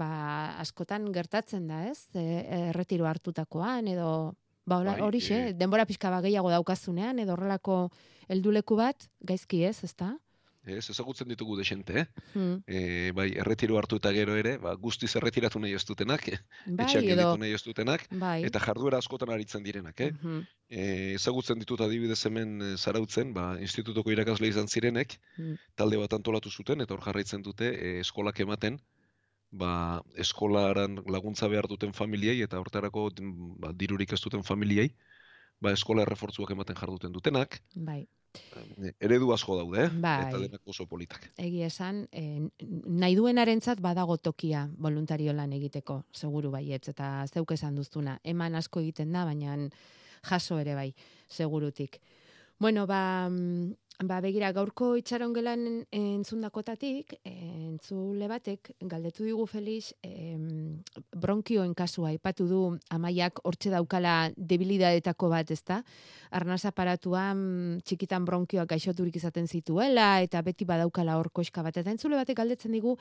I: askotan gertatzen da, ez? Erretiro hartutakoan, edo horixe, denbora pixka gehiago daukazunean, edo horrelako helduleku bat, gaizki ez, ezta?
K: Ez, ezagutzen ditugu desente, bai, erretiro hartu eta gero ere, guztiz erretiratu nahi ez dutenak, etxean gelditu nahi ez dutenak, eta jarduera askotan aritzen direnak, ezagutzen ditut adibidez hemen Zarautzen, institutoko irakasle izan zirenek, talde bat antolatu zuten, eta hor jarraitzen dute eskolak ematen, eskolaran laguntza behar duten familiei, eta hortarako dirurik ez duten familiei, eskola errefortzuak ematen jarduten dutenak, eredu asko daude, eta denak oso politak.
I: Egia esan, nahi duenarentzat badago tokia voluntario lan egiteko, seguru baietz, eta zeuk esan duztuna. Eman asko egiten da, baina jaso ere bai, segurutik. Bueno, begira, gaurko itxarongelan entzundakotatik, entzule batek, galdetu digu Felix, bronkioen kasua, aipatu du Amaiak hortxe daukala debilidadetako bat, ezta? Arnaz aparatuan txikitan bronkioak gaixoturik izaten zituela, eta beti badaukala hor koska bat. Eta entzule batek galdetzen digu,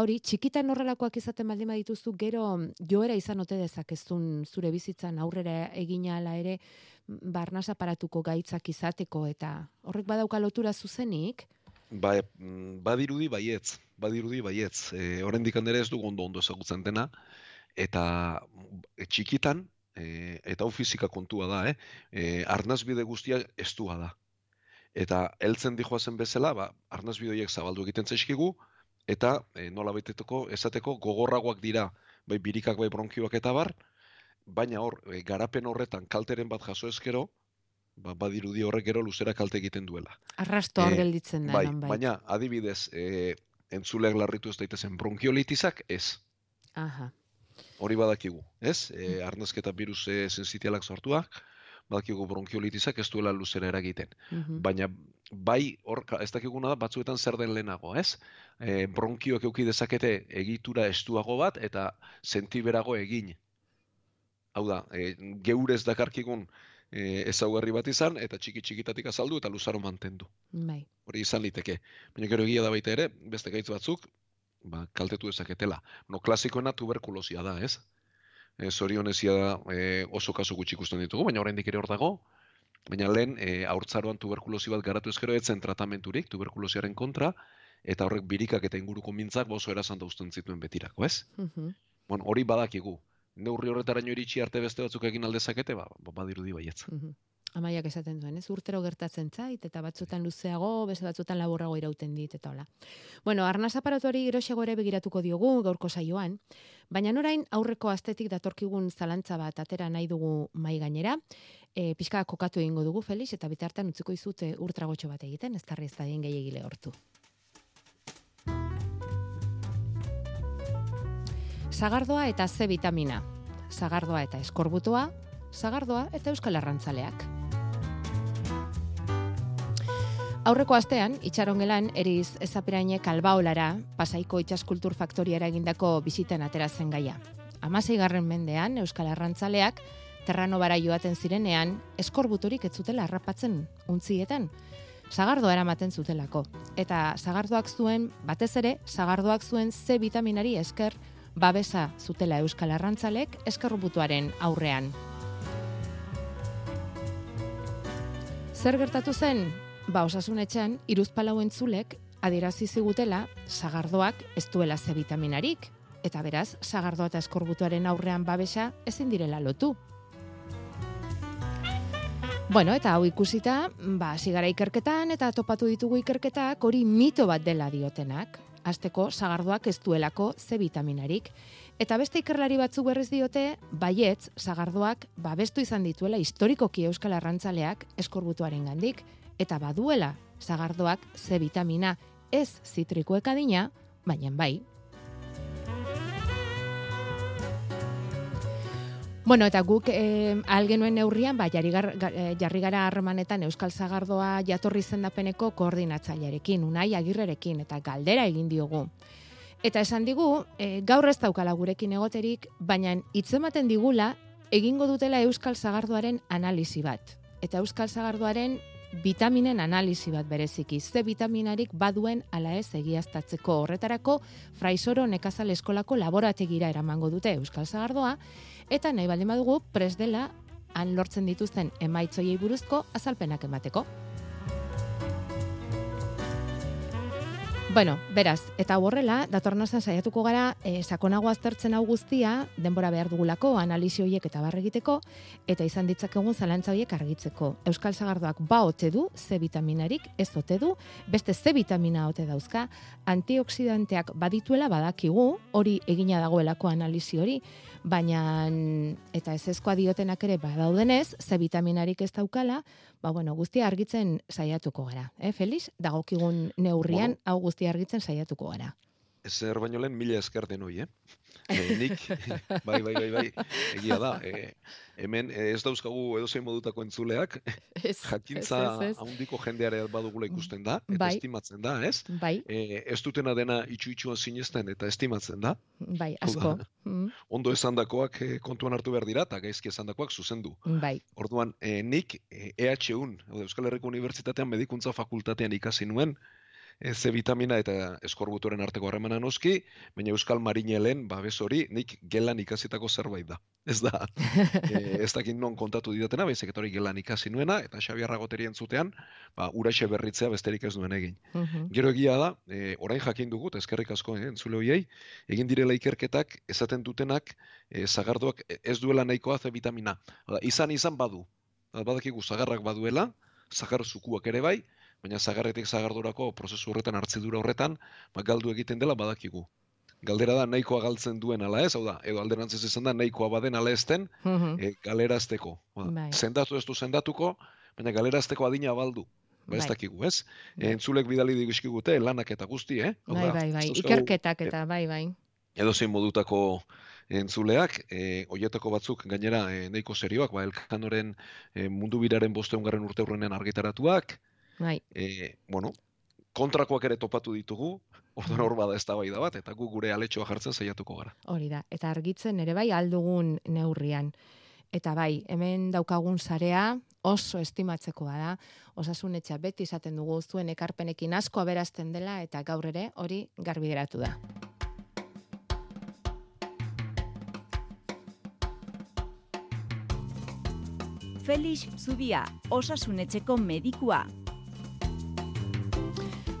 I: hori, txikitan horrelakoak izaten baldin badituzu, gero joera izan ote dezakezun zure bizitzan aurrera egina ala ere, Arnaz aparatuko gaitzak izateko, eta horrek badauka lotura zuzenik?
K: Badirudi baietz. Oraindik ere ez dugu ondo ezagutzen dena, eta txikitan, eta hau fizika kontua da, arnazbide guztia estua da. Eta heltzen dijoazen bezala, arnazbideoiek zabaldu egiten zaizkigu, eta nola baiteteko esateko gogorragoak dira, bai birikak, bai bronkioak eta bar, baina hor, garapen horretan kalteren bat jaso ezkero, badirudi horrek gero luzera kalte egiten duela.
I: Arrasto hor gelditzen da.
K: Baina, adibidez, entzuleak larritu ez daitezen bronkiolitizak, ez. Hori badakigu, ez? Arnazketa virus sensitialak sortuak, badakigu bronkiolitizak ez duela luzera eragiten. Baina, bai, hor, ez dakiguna da, batzuetan zer den lehenago, ez? Bronkioak euki dezakete egitura estuago bat, eta sentiberago egin. Hau da, geurez dakarkigun ezaugarri bat izan, eta txikitatik azaldu eta luzaro mantendu. Hori izan liteke. Baina gero egia da baita ere, beste gaitz batzuk, kaltetu dezaketela. Klasikoena tuberkulosia da, ez? Zorionezia da oso kasu gutxi ikusten ditugu, baina oraindik ere hor dago. Baina lehen, haurtzaroan tuberkulosi bat garatu ezkero etzen tratamenturik, tuberkulosiaren kontra, eta horrek birikak eta inguruko mintzak oso erazan dauzten zituen betirako, ez? Hori badakigu. Neurri horretaraino iritsi arte beste batzuk egin aldezakete, badirudi baietz.
I: Amaiak esaten duen, ez? Urtero gertatzen zait, eta batzutan luzeago, beste batzutan laburrago irauten dit, eta hola. Bueno, arnaz aparatuari geroxago ere begiratuko diogu gaurko saioan, baina orain aurreko astetik datorkigun zalantza bat atera nahi dugu mai gainera, pixka kokatu egingo dugu, Felix, eta bitartean utziko izute urtragotxo bat egiten, ez tarri ez da dien gehiagile hortu. Sagardoa eta C vitamina, sagardoa eta eskorbutoa, sagardoa eta euskal arrantzaleak. Aurreko astean, itxarongelan Eriz Ezapirainek Albaolara, Pasaiko Itsaskultur Faktoriara egindako bisitan atera zen gaia. 16. mendean euskal arrantzaleak Terranobara joaten zirenean eskorbutorik ez zutela harrapatzen untzietan. Sagardoa eramaten zutelako. Eta sagardoak zuen, batez ere, sagardoak zuen C vitaminari esker babesa zutela euskal arrantzalek eskorbutuaren aurrean. Zer gertatu zen? Osasun etxean, Hiruzpalau entzulek adierazi zigutela sagardoak ez duela C vitaminarik, eta beraz, sagardoa eta eskorbutuaren aurrean babesa ezin direla lotu. Eta hau ikusita, hasi gara ikerketan eta topatu ditugu ikerketak hori mito bat dela diotenak. Hasteko sagardoak ez duelako C vitaminarik. Eta beste ikerlari batzuk berriz diote, baietz, sagardoak babestu izan dituela historikoki euskal arrantzaleak eskorbutuarengandik, eta baduela sagardoak C vitamina ez zitrikoek adina, baina bai. Eta guk algenuen neurrian, jarri gara harremanetan euskal sagardoa jatorri izendapeneko koordinatzailearekin, Unai Agirrerekin, eta galdera egin diogu. Eta esan digu, gaur ez daukala gurekin egoterik, baina hitzematen digula egingo dutela euskal sagardoaren analisi bat. Eta euskal sagardoaren vitaminen analisi bat bereziki. C vitaminarik baduen ala ez egiaztatzeko horretarako Fraisoro Nekazal Eskolako laborategira eramango dute euskal sagardoa, eta nahi baldin badugu prest dela han lortzen dituzten emaitzoiei buruzko azalpenak emateko. Beraz, eta horrela, datorren astean saiatuko gara, sakonago aztertzen hau guztia, denbora behar dugulako, analisi horiek eta barre egiteko, eta izan ditzakegun zalantza horiek argitzeko. Euskal sagardoak ote du, C vitaminarik, ez ote du, beste C vitamina ote dauzka, antioxidanteak badituela badakigu, hori egina dagoelako analisi hori, baina, eta ezezkoa diotenak ere badaudenez, C vitaminarik ez daukala, guztia argitzen saiatuko gara. Felix, dagokigun neurrian, hau guztia argitzen saiatuko gara.
K: Ezer baino lehen mila esker denoi, nik, bai, egia da, hemen ez dauzkagu edozein modutako entzuleak, jakintza handiko jendeare badugula ikusten da, eta estimatzen da, ez? Ez dutena dena itxu-itxuan sinesten eta estimatzen da.
I: Bai, asko.
K: Ondo esandakoak kontuan hartu behar dira, eta gaizki esandakoak zuzendu. Orduan, nik EHUn, Euskal Herriko Unibertsitatean medikuntza fakultatean ikasi nuen, C vitamina eta eskorbutuaren arteko harremana noski, baina Euskal Marinelen babes hori nik gelan ikasitako zerbait da. Ez da, ez dakit non kontatu didatena, baizik eta hori gelan ikasi nuena, eta Xabi Arragoteri entzutean, uraxe berritzea besterik ez duen egin. Gero egia da, orain jakin dugu, eta eskerrik asko entzule hoiei, egin direla ikerketak esaten dutenak sagardoak ez duela nahikoa C vitamina. Izan badu, badakigu sagarrak baduela, sagar zukuak ere bai, baina zagarretik zagardurako prozesu horretan, hartzidura horretan, galdu egiten dela badakigu. Galdera da nahikoa galtzen duen ala ez, hau da, edo alderantzez izan da nahikoa baden ala ezten galerazteko. Zendatu ez du zendatuko, baina galerazteko adina baldu. Ez dakigu, ez? Entzulek bidali digizkigute, lanak eta guzti,
I: Bai, ikerketak eta bai.
K: Edo zein modutako entzuleak, hoietako batzuk gainera nahiko serioak, Elkanoren mundu biraren 500. urteurrenean argitaratuak, kontrakoak ere topatu ditugu, orduan hor bada eztabaida bat, eta gu gure aletxoa jartzen saiatuko gara.
I: Hori da, eta argitzen ere bai aldugun neurrian. Eta bai, hemen daukagun sarea oso estimatzekoa da, Osasun Etxea beti izaten dugu zuen ekarpenekin asko aberazten dela, eta gaur ere hori garbi geratu da.
L: Felix Zubia, Osasun Etxeko medikua.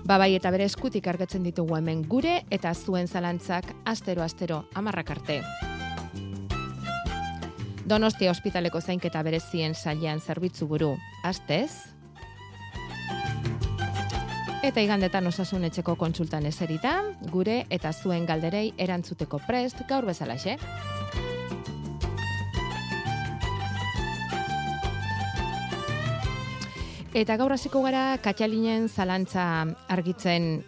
I: Bai, eta bere eskutik argatzen ditugu hemen gure eta zuen zalantzak astero 10 arte. Donostia ospitaleko zainketa berezien sailean zerbitzu buru, astez. Eta igandetan Osasun Etxeko kontsultan eserita, gure eta zuen galderei erantzuteko prest gaur bezalaxe. Eta gaur hasiko gara Katxalinen zalantza argitzen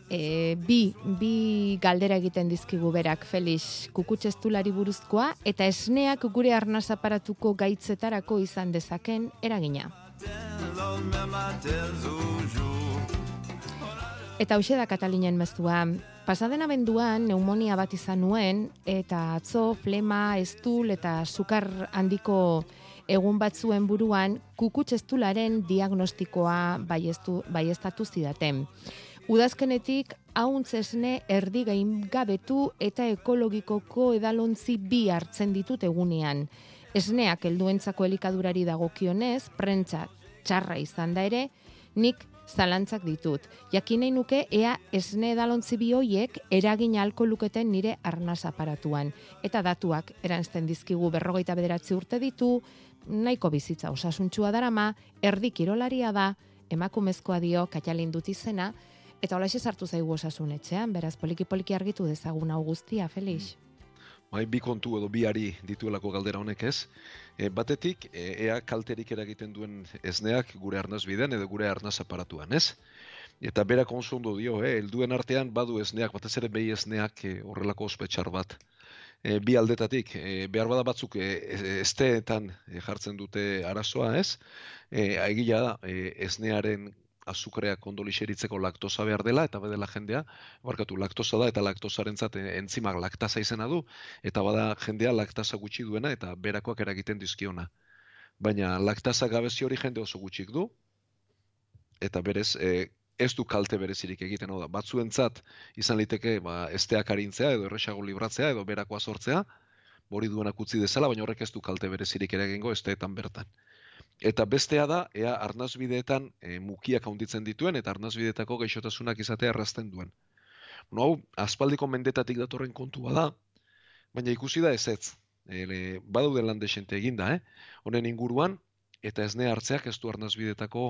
I: bi galdera egiten dizkigu berak Felix kukutxestulari buruzkoa eta esneak gure arnas aparatuko gaitzetarako izan dezaken eragina. Eta hoxe da Katalinen mezua, Pasaden abenduan pneumonia bat izan nuen, eta atzo flema, estul eta sukar handiko egun batzuen buruan kukutxestularen diagnostikoa baieztatu zidaten. Udazkenetik hauntz esne erdi gaingabetu eta ekologikoko edalontzi 2 hartzen ditut egunean. Esneak helduentzako elikadurari dagokionez, prentsa txarra izan da ere, nik zalantzak ditut. Jakin nahi nuke ea esne edalontzi 2 horiek eragin ahalko luketen nire arnaz aparatuan. Eta datuak eranzten dizkigu 49 urte ditu, nahiko bizitza osasuntsua darama, erdi kirolaria da, emakumezkoa dio Katalin dut izena, eta holaxe sartu zaigu Osasun Etxean, beraz poliki-poliki argitu dezagun hau guztia, Felix.
K: Bai, bi kontu edo biari dituelako galdera honek ez. Batetik, ea kalterik eragiten duen esneak gure arnazbidean edo gure arnaz aparatuan, ez? Eta berak oso ondo dio, helduen artean badu esneak, batez ere behi esneak horrelako ospetxar bat. Bi aldetatik, behar bada batzuk esteetan jartzen dute arazoa, ez? Egia da, esnearen azukreak ondo lixeritzeko laktosa behar dela, eta bedela jendea, laktosa da, eta laktosarentzat entzimak laktasa izena du, eta bada jendea laktasa gutxi duena, eta berakoak eragiten dizkiona. Baina laktasa gabezi hori jende oso gutxik du, eta berez, ez du kalte berezirik egiten, hau da, batzuentzat izan liteke esteak arintzea, edo erresago libratzea, edo berakoa sortzea, hori duenak utzi dezala, baina horrek ez du kalte berezirik eragingo esteetan bertan. Eta bestea da, ea arnazbideetan mukiak handitzen dituen, eta arnazbideetako gaixotasunak izatea errazten duen. Hau, aspaldiko mendetatik datorren kontua da, baina ikusi da ezetz. Badaude lan desente eginda, honen inguruan, eta esne hartzeak ez du arnazbideetako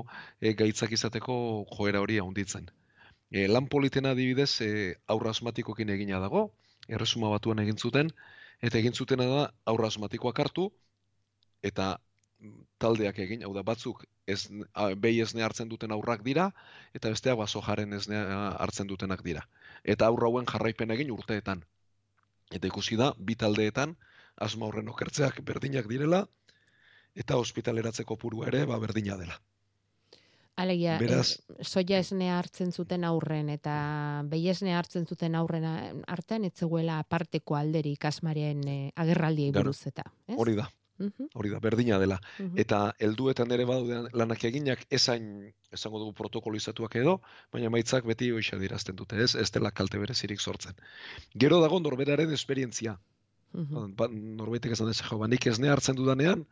K: gaitzak izateko joera hori handitzen. Lan politena adibidez, aurra asmatikokin egina dago, Erresuma Batuan egin zuten, eta egin zutena da aurra asmatikoak hartu, eta taldeak egin, hau da batzuk behi esne hartzen duten aurrak dira, eta besteak sojaren esne hartzen dutenak dira. Eta aurra hauen jarraipen egin urteetan. Eta ikusi da, bi taldeetan, asma horren okertzeak berdinak direla, eta ospitaleratzeko purua ere berdina dela.
I: Alegia, soia esnea hartzen zuten aurren eta behi esnea hartzen zuten aurren artean, etzegoela aparteko alderik asmaren agerraldiei buruz eta.
K: Hori da. Hori da, berdina dela. Eta helduetan ere badaude lanak eginak ezain, esango dugu protokolizatuak edo, baina maitzak beti hoxa dirazten dute, ez dela kalte berezirik sortzen. Gero dago norberaren esperientzia. Norbaitek esan ez, nik esne hartzen dudanean,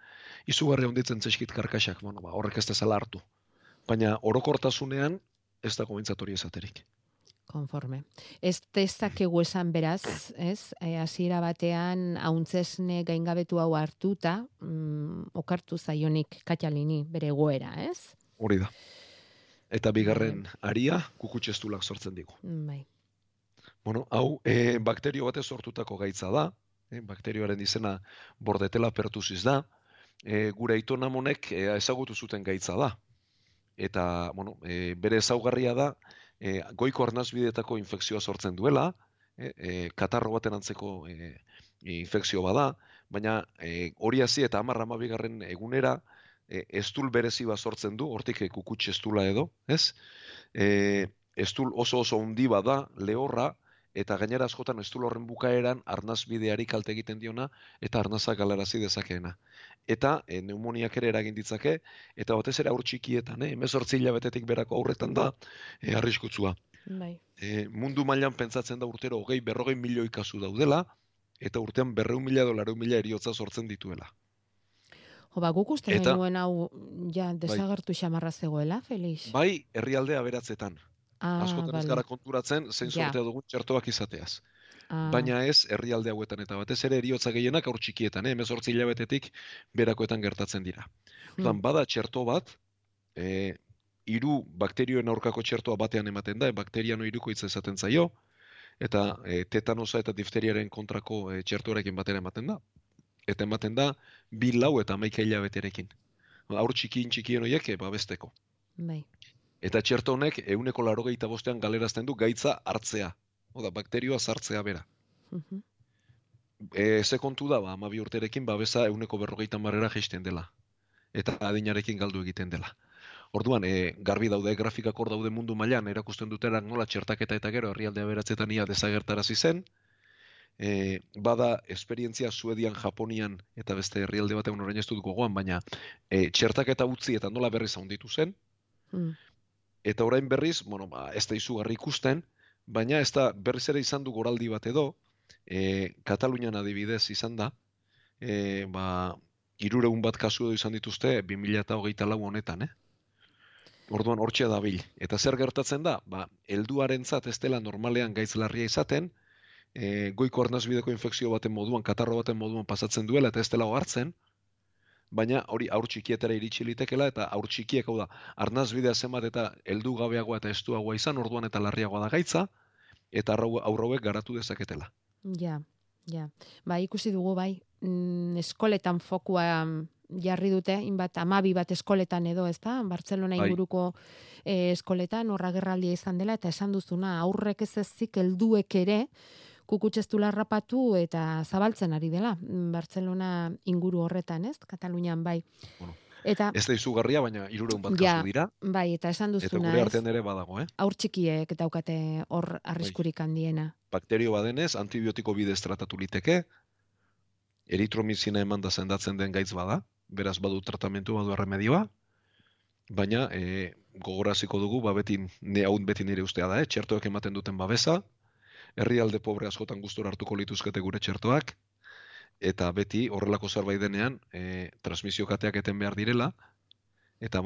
K: izugarri honditzen zeskit karkasak, horrek ez dezala hartu. Baina orokortasunean ez dago mintzat hori esaterik.
I: Konforme. Ez dezakegu esan beraz, ez? Hasiera batean hauntzesne gaingabetu hau hartuta, okartu zaionik Katalini bere egoera, ez?
K: Hori da. Eta bigarren aria kukutxestulak sortzen digu.
I: Bai.
K: Hau bakterio batez sortutako gaitza da, bakterioaren izena Bordetella pertussis da, gure aitonamonek ezagutu zuten gaitza da. Eta, bere ezaugarria da, goiko arnazbideetako infekzioa sortzen duela, katarro baten antzeko infekzio bada, baina hori hasi eta 10-12 egunera estul berezi bat sortzen du, hortik kukutx estula edo, ez? Estul oso handi bada, lehorra, eta gainera askotan estul horren bukaeran arnazbideari kalte egiten diona eta arnazak galarazi dezakeena. Eta pneumoniak ere eragin ditzake, eta batez ere haur txikietan, 18 hilabetetik berako aurretan da arriskutsua. Mundu mailan pentsatzen da urtero 20-40 milioi kasu daudela, eta urtean 200.000 edo 400.000 eriotza sortzen dituela.
I: Guk uste genuen hau desagertu xamarra zegoela, Felix?
K: Bai, herrialde aberatzetan. Askotan ez gara konturatzen, zein sortea dugun txertoak izateaz. Baina ez herrialde hauetan, eta batez ere eriotza gehienak aur txikietan, 18 hilabetetik berakoetan gertatzen dira. Bada txerto bat, 3 bakterioen aurkako txertoa batean ematen da, bakteriano 3 hitza esaten zaio, eta tetanosa eta difteriaren kontrako txertoarekin batera ematen da. Eta ematen da 2, 4 eta 11 hilabeterekin. Aur txikien horiek babesteko.
I: Bai.
K: Eta txerto honek 185 galerazten du gaitza hartzea. Oda, bakterioa sartzea bera. Ze kontu da, 12 urterekin babesa 150 jaisten dela. Eta adinarekin galdu egiten dela. Orduan, garbi daude grafikak hor daude mundu mailan erakusten dutenak nola txertaketa eta gero herrialde aberatsetan ia desagertarazi zen. Bada esperientzia Suedian, Japonian eta beste herrialde batean orain ez dut gogoan, baina txertaketa utzi eta nola berriz handitu zen. Eta orain berriz, ez da izugarri ikusten, baina ez da berriz ere izan du goraldi bat edo, Katalunian adibidez izan da, 300 bat kasu edo izan dituzte 2024 honetan, Orduan hortxe dabil. Eta zer gertatzen da? Helduarentzat ez dela normalean gaitz larria izaten, goiko arnasbideko infekzio baten moduan, katarro baten moduan pasatzen duela eta ez dela hartzen, baina hori aur txikietara iritsi litekela eta aur txikiek, hau da, arnasbidea zenbat eta heldu gabeagoa eta estuagoa izan, orduan eta larriagoa da gaitza, eta aurrauek garatu dezaketela.
I: Ja. Ikusi dugu eskoletan fokua jarri dute, inbat 12 bat eskoletan edo, ezta? Bartzelona inguruko eskoletan horra gerraldia izan dela, eta esan duzuna, aurrek ez ezik helduek ere, kukutxestula harrapatu eta zabaltzen ari dela, Bartzelona inguru horretan, ez? Katalunian bai. Eta
K: ez da izugarria, baina 300 bat kasu dira.
I: Bai, eta esan duzuna,
K: eta gure artean ere badago,
I: Aur txikiek daukate hor arriskurik handiena.
K: Bakterio badenez, antibiotiko bidez tratatu liteke, eritromizina eman da sendatzen den gaitz bada, beraz badu tratamentu, badu erremedioa, baina gogoraziko dugu, beti nire ustea da, txertoak ematen duten babesa, herrialde pobre askotan gustora hartuko lituzkete gure txertoak, eta beti horrelako zerbait denean transmisio kateak eten behar direla, eta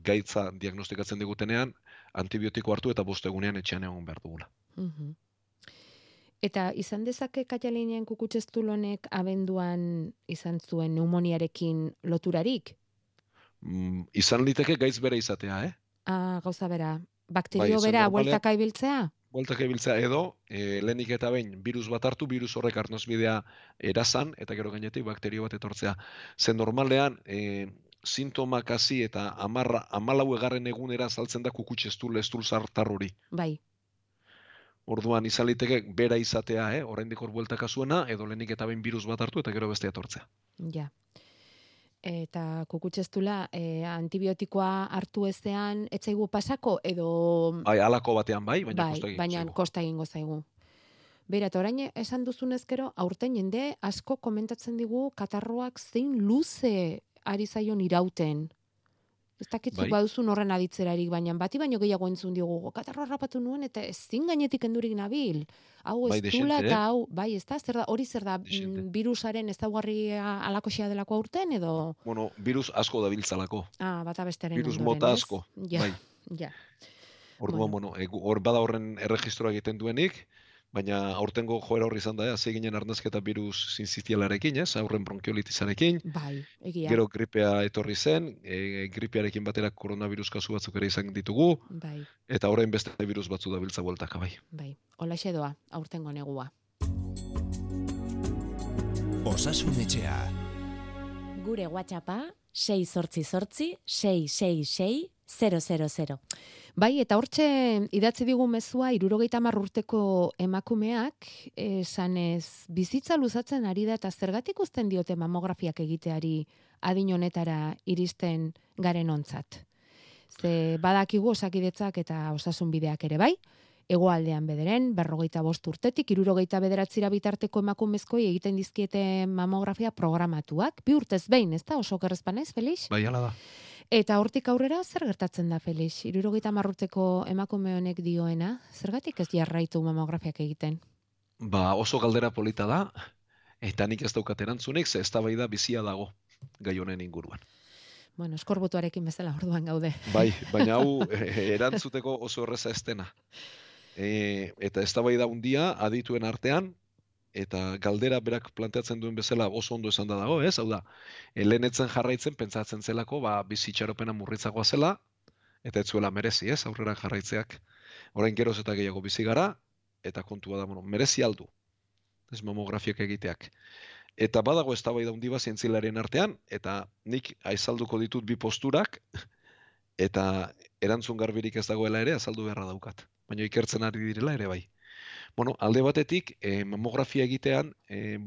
K: gaitza diagnostikatzen digutenean, antibiotiko hartu eta 5 egunean etxean egon behar dugula.
I: Eta izan dezake Katalunian kukutxestul honek abenduan izan zuen pneumoniarekin loturarik?
K: Izan liteke gaitz bere izatea,
I: Gauza bera, bakterio bera, bueltaka ibiltzea?
K: Bueltaka ibiltzea edo, lehenik eta behin, virus bat hartu, virus horrek arnasbidea erazan, eta gero gainetik bakterio bat etortzea. Zen normalean, sintomak hasi eta 14. egunera saltzen da kukutxestul sartar hori.
I: Bai.
K: Orduan izan liteke bera izatea, oraindik hor bueltaka zuena, edo lehenik eta behin virus bat hartu eta gero bestea etortzea.
I: Ja. Eta kukutxestula antibiotikoa hartu ezean etzaigu pasako edo...
K: Halako batean baina
I: kosta egingo zaigu. Bera, eta orain esan duzunezkero, aurten jende asko komentatzen digu katarroak zein luze ari zaion irauten. Ez dakitzuk baduzun horren aditzerarik, baina bati baino gehiago entzun diogu, katarro harrapatu nuen eta ezin gainetik endurik nabil. Hau ez dula eta hau, ez da, hori zer da, virusaren ezaugarria alakoxea delako aurten edo?
K: Virus asko da biltzalako.
I: Bata besteren
K: virus mota asko.
I: Ja.
K: Orduan, hor bada horren erregistroa egiten duenik, baina aurtengo joera horri izan da, hasi ginen arnazketa virus sincitialarekin, aurren bronkiolitisarekin.
I: Egia.
K: Gero gripea etorri zen, gripearekin batera koronavirus kasu batzuk ere izan ditugu. Eta orain beste virus batzu da biltza bueltaka,
I: Holaxe doa, aurtengo negua.
J: Osasun etxea.
M: Gure WhatsAppa 688-666-000.
I: Eta hortxe idatzi digu mezua 70 urteko emakumeak, esanez bizitza luzatzen ari da eta zergatik uzten diote mamografiak egiteari adin honetara iristen garen ontzat. Ze badakigu Osakidetzak eta osasunbideak ere hegoaldean bederen 45 urtetik 69 bitarteko emakumezkoi egiten dizkiete mamografia programatuak, 2 urtez behin, ez da, oso gerrezpanez, Felix?
K: Hala da.
I: Eta hortik aurrera, zer gertatzen da, Felix? 70 urteko emakume honek dioena, zergatik ez jarraitu mamografiak egiten?
K: Oso galdera polita da, eta nik ez daukat erantzunik, ze eztabaida bizia dago gai honen inguruan.
I: Eskorbutuarekin bezala orduan gaude.
K: Baina hau erantzuteko oso erreza ez dena. Eta eztabaida handia adituen artean, eta galdera berak planteatzen duen bezala oso ondo esan da dago, ez? Hau da, lehenetzen jarraitzen, pentsatzen zelako, bizitxaropena murritzagoa zela, eta ez zuela merezi, ez? Aurrera jarraitzeak. Orain geroz eta gehiago bizi gara, eta kontua da, merezi aldu. Ez mamografiak egiteak. Eta badago eztabaida handi bat zientzialarien artean, eta nik azalduko ditut 2 posturak, eta erantzun garbirik ez dagoela ere azaldu beharra daukat. Baina ikertzen ari direla ere bai. Alde batetik, mamografia egitean,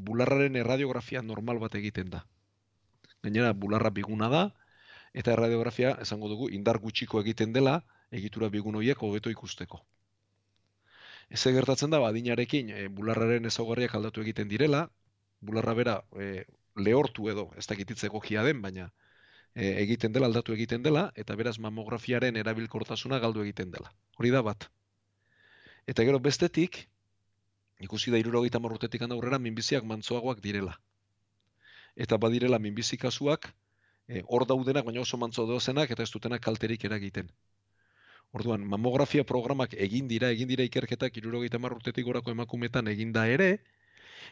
K: bularraren erradiografia normal bat egiten da. Gainera, bularra biguna da, Eta erradiografia, esango dugu, indar gutxiko egiten dela, egitura bigun horiek hobeto ikusteko. Ez gertatzen da, adinarekin bularraren ezaugarriak aldatu egiten direla, bularra bera lehortu edo, ez dakititze egokia den, baina egiten dela, aldatu egiten dela, eta beraz mamografiaren erabilkortasuna galdu egiten dela. Hori da bat. Eta gero bestetik, ikusi da 70 urtetik aurrera minbiziak mantsoagoak direla. Eta badirela minbizi kasuak, hor daudenak, baina oso mantso dozenak, eta ez dutenak kalterik eragiten. Orduan, mamografia programak egin dira ikerketak 70 urtetik gorako emakumetan eginda ere,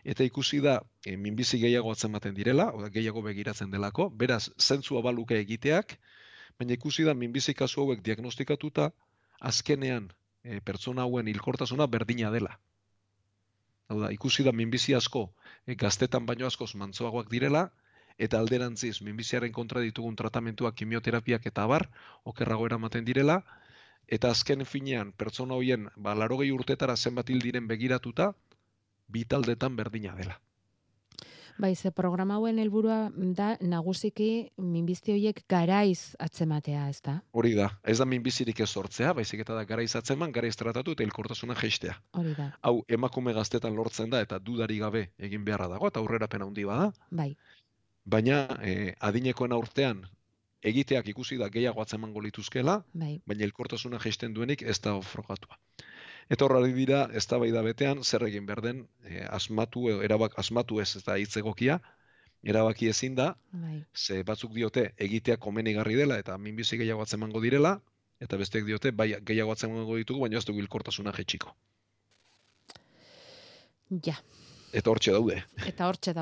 K: eta ikusi da minbizi gehiago atzematen direla, gehiago begiratzen delako, beraz, zentzua baluke egiteak, baina ikusi da minbizi kasu hauek diagnostikatuta, azkenean pertsona hauen hilkortasuna berdina dela. Hau da, ikusi da minbizi asko, gaztetan baino askoz mantsoagoak direla, eta alderantziz, minbiziaren kontra ditugun tratamentuak, kimioterapiak eta abar, okerrago eramaten direla, eta azken finean, pertsona horien, 80 urtetara zenbat hil diren begiratuta, bi taldetan berdina dela.
I: Bai, ze programa hauen helburua da nagusiki minbizi horiek garaiz atzematea, ez da?
K: Hori da, ez da minbizirik ez sortzea, baizik eta da garaiz atzeman, garaiz tratatu eta hilkortasuna jaistea.
I: Hori da.
K: Hau, emakume gaztetan lortzen da eta dudari gabe egin beharra dago, eta aurrerapen handi bada.
I: Bai.
K: Baina adinekoen urtean egiteak ikusi da gehiago atzemango lituzkela,
I: bai.
K: Baina hilkortasuna jaisten duenik ez da frogatua. Eta horrari dira, eztabaida betean, zer egin behar den, asmatu ez da hitz egokia, erabaki ezin da, ze batzuk diote egiteak komenigarri dela eta minbizi gehiago atzemango direla, eta besteek diote bai gehiago atzemango ditugu, baina ez dugu hilkortasuna jaitsiko.
I: Ja.
K: Eta hortxe daude.
I: Eta hortxe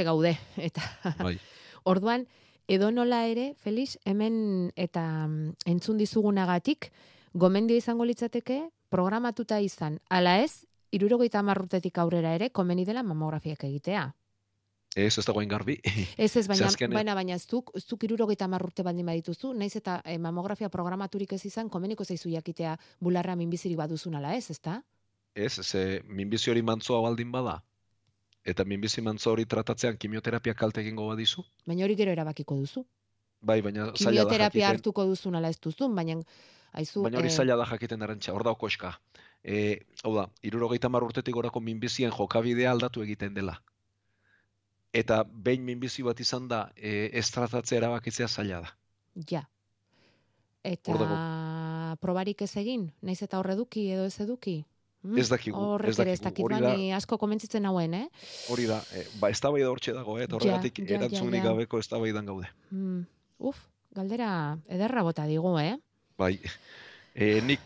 I: gaude. Eta
K: bai.
I: Orduan, edonola ere, Felix, hemen eta entzun dizugunagatik, gomendio izango litzateke, programatuta izan, ala ez, 70 urtetik aurrera ere, komeni dela mamografiak egitea.
K: Ez dago garbi.
I: Ez, baina zuk 70 urte baldin badituzu, naiz eta mamografia programaturik ez izan, komeniko zaizu jakitea bularra minbizirik baduzun ala ez, ezta?
K: Ez, minbizi hori mantsoa baldin bada, eta minbizi mantso hori tratatzean kimioterapia kalte egingo badizu.
I: Baina hori gero erabakiko duzu.
K: Bai, baina zaila da jakiten.
I: Kimioterapia hartuko duzun ala ez duzun, baina
K: hori zaila da jakiten Arantxa, hor dago koska. Hau da, 70 urtetik gorako minbizien jokabidea aldatu egiten dela. Eta behin minbizi bat izan da, ez tratatzea erabakitzea zaila da.
I: Ja. Eta probarik ez egin? Naiz eta hor eduki edo ez eduki?
K: Ez dakigu.
I: Horrek ere ez dakit, bani asko komentzitzen hauen,
K: Hori da, eztabaida hortxe dago, eta horregatik erantzunik gabeko eztabaidan gaude.
I: Galdera ederra bota digu,
K: Bai, nik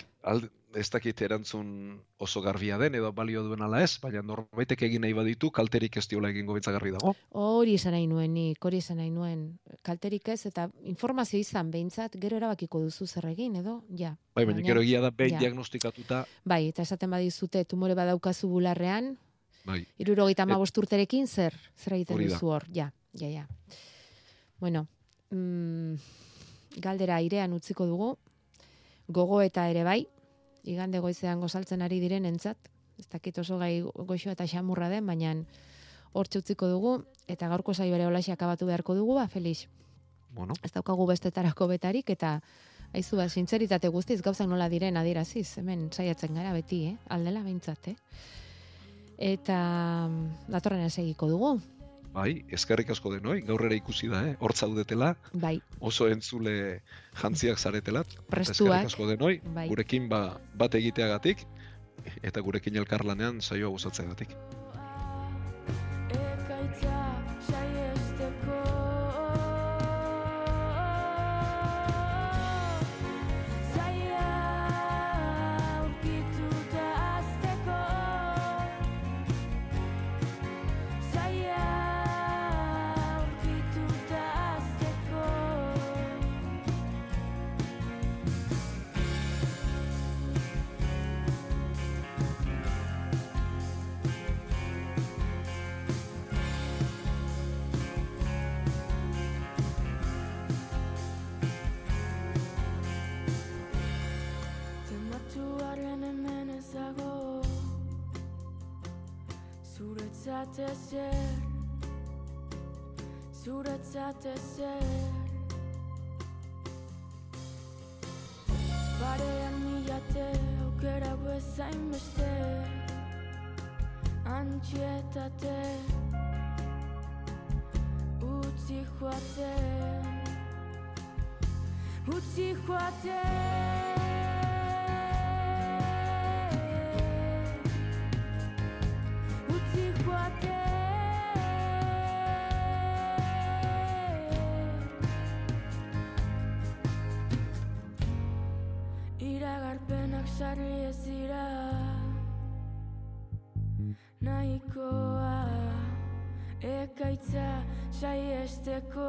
K: ez dakit erantzun oso garbia den, edo balio duen ala ez, baina norbaitek egin nahi baditu, kalterik ez diola egingo bintzagarri dago.
I: Hori izan nahi nuen, kalterik ez, eta informazio izan behintzat, gero erabakiko duzu zer egin, edo, ja.
K: Bai, baina gero egia da, behin diagnostikatuta.
I: Bai, eta esaten badizute, tumore badaukazu bularrean,
K: bai.
I: 75 urterekin zer egiten duzu hor, ja. Bueno, galdera airean utziko dugu, gogo eta ere bai, igande goizean gozaltzen ari diren entzat, ez dakit oso gai goxo eta xamurra den, baina hortxe utziko dugu, eta gaurko saioare holaxe akabatu beharko dugu, Felix.
K: Bueno.
I: Ez daukagu bestetarako betarik, eta haizu sintzeritate guztiz gauzak nola diren adieraziz, hemen saiatzen gara beti, aldela behintzat, Eta datorren segiko dugu.
K: Bai, eskerrik asko denoi, gaur ere ikusi da, hor zaudetela,
I: bai.
K: Oso entzule jantziak zaretela,
I: prestuak,
K: eskerrik asko denoi,
I: bai.
K: Gurekin bat egiteagatik, eta gurekin elkarlanean saioa gozatzeagatik.
N: Zuretzat ezer zainbeste antxietate utzi joaten utzi joaten utzi joaten iragarpenak sarri ez dira nahikoa ekaitza saiesteko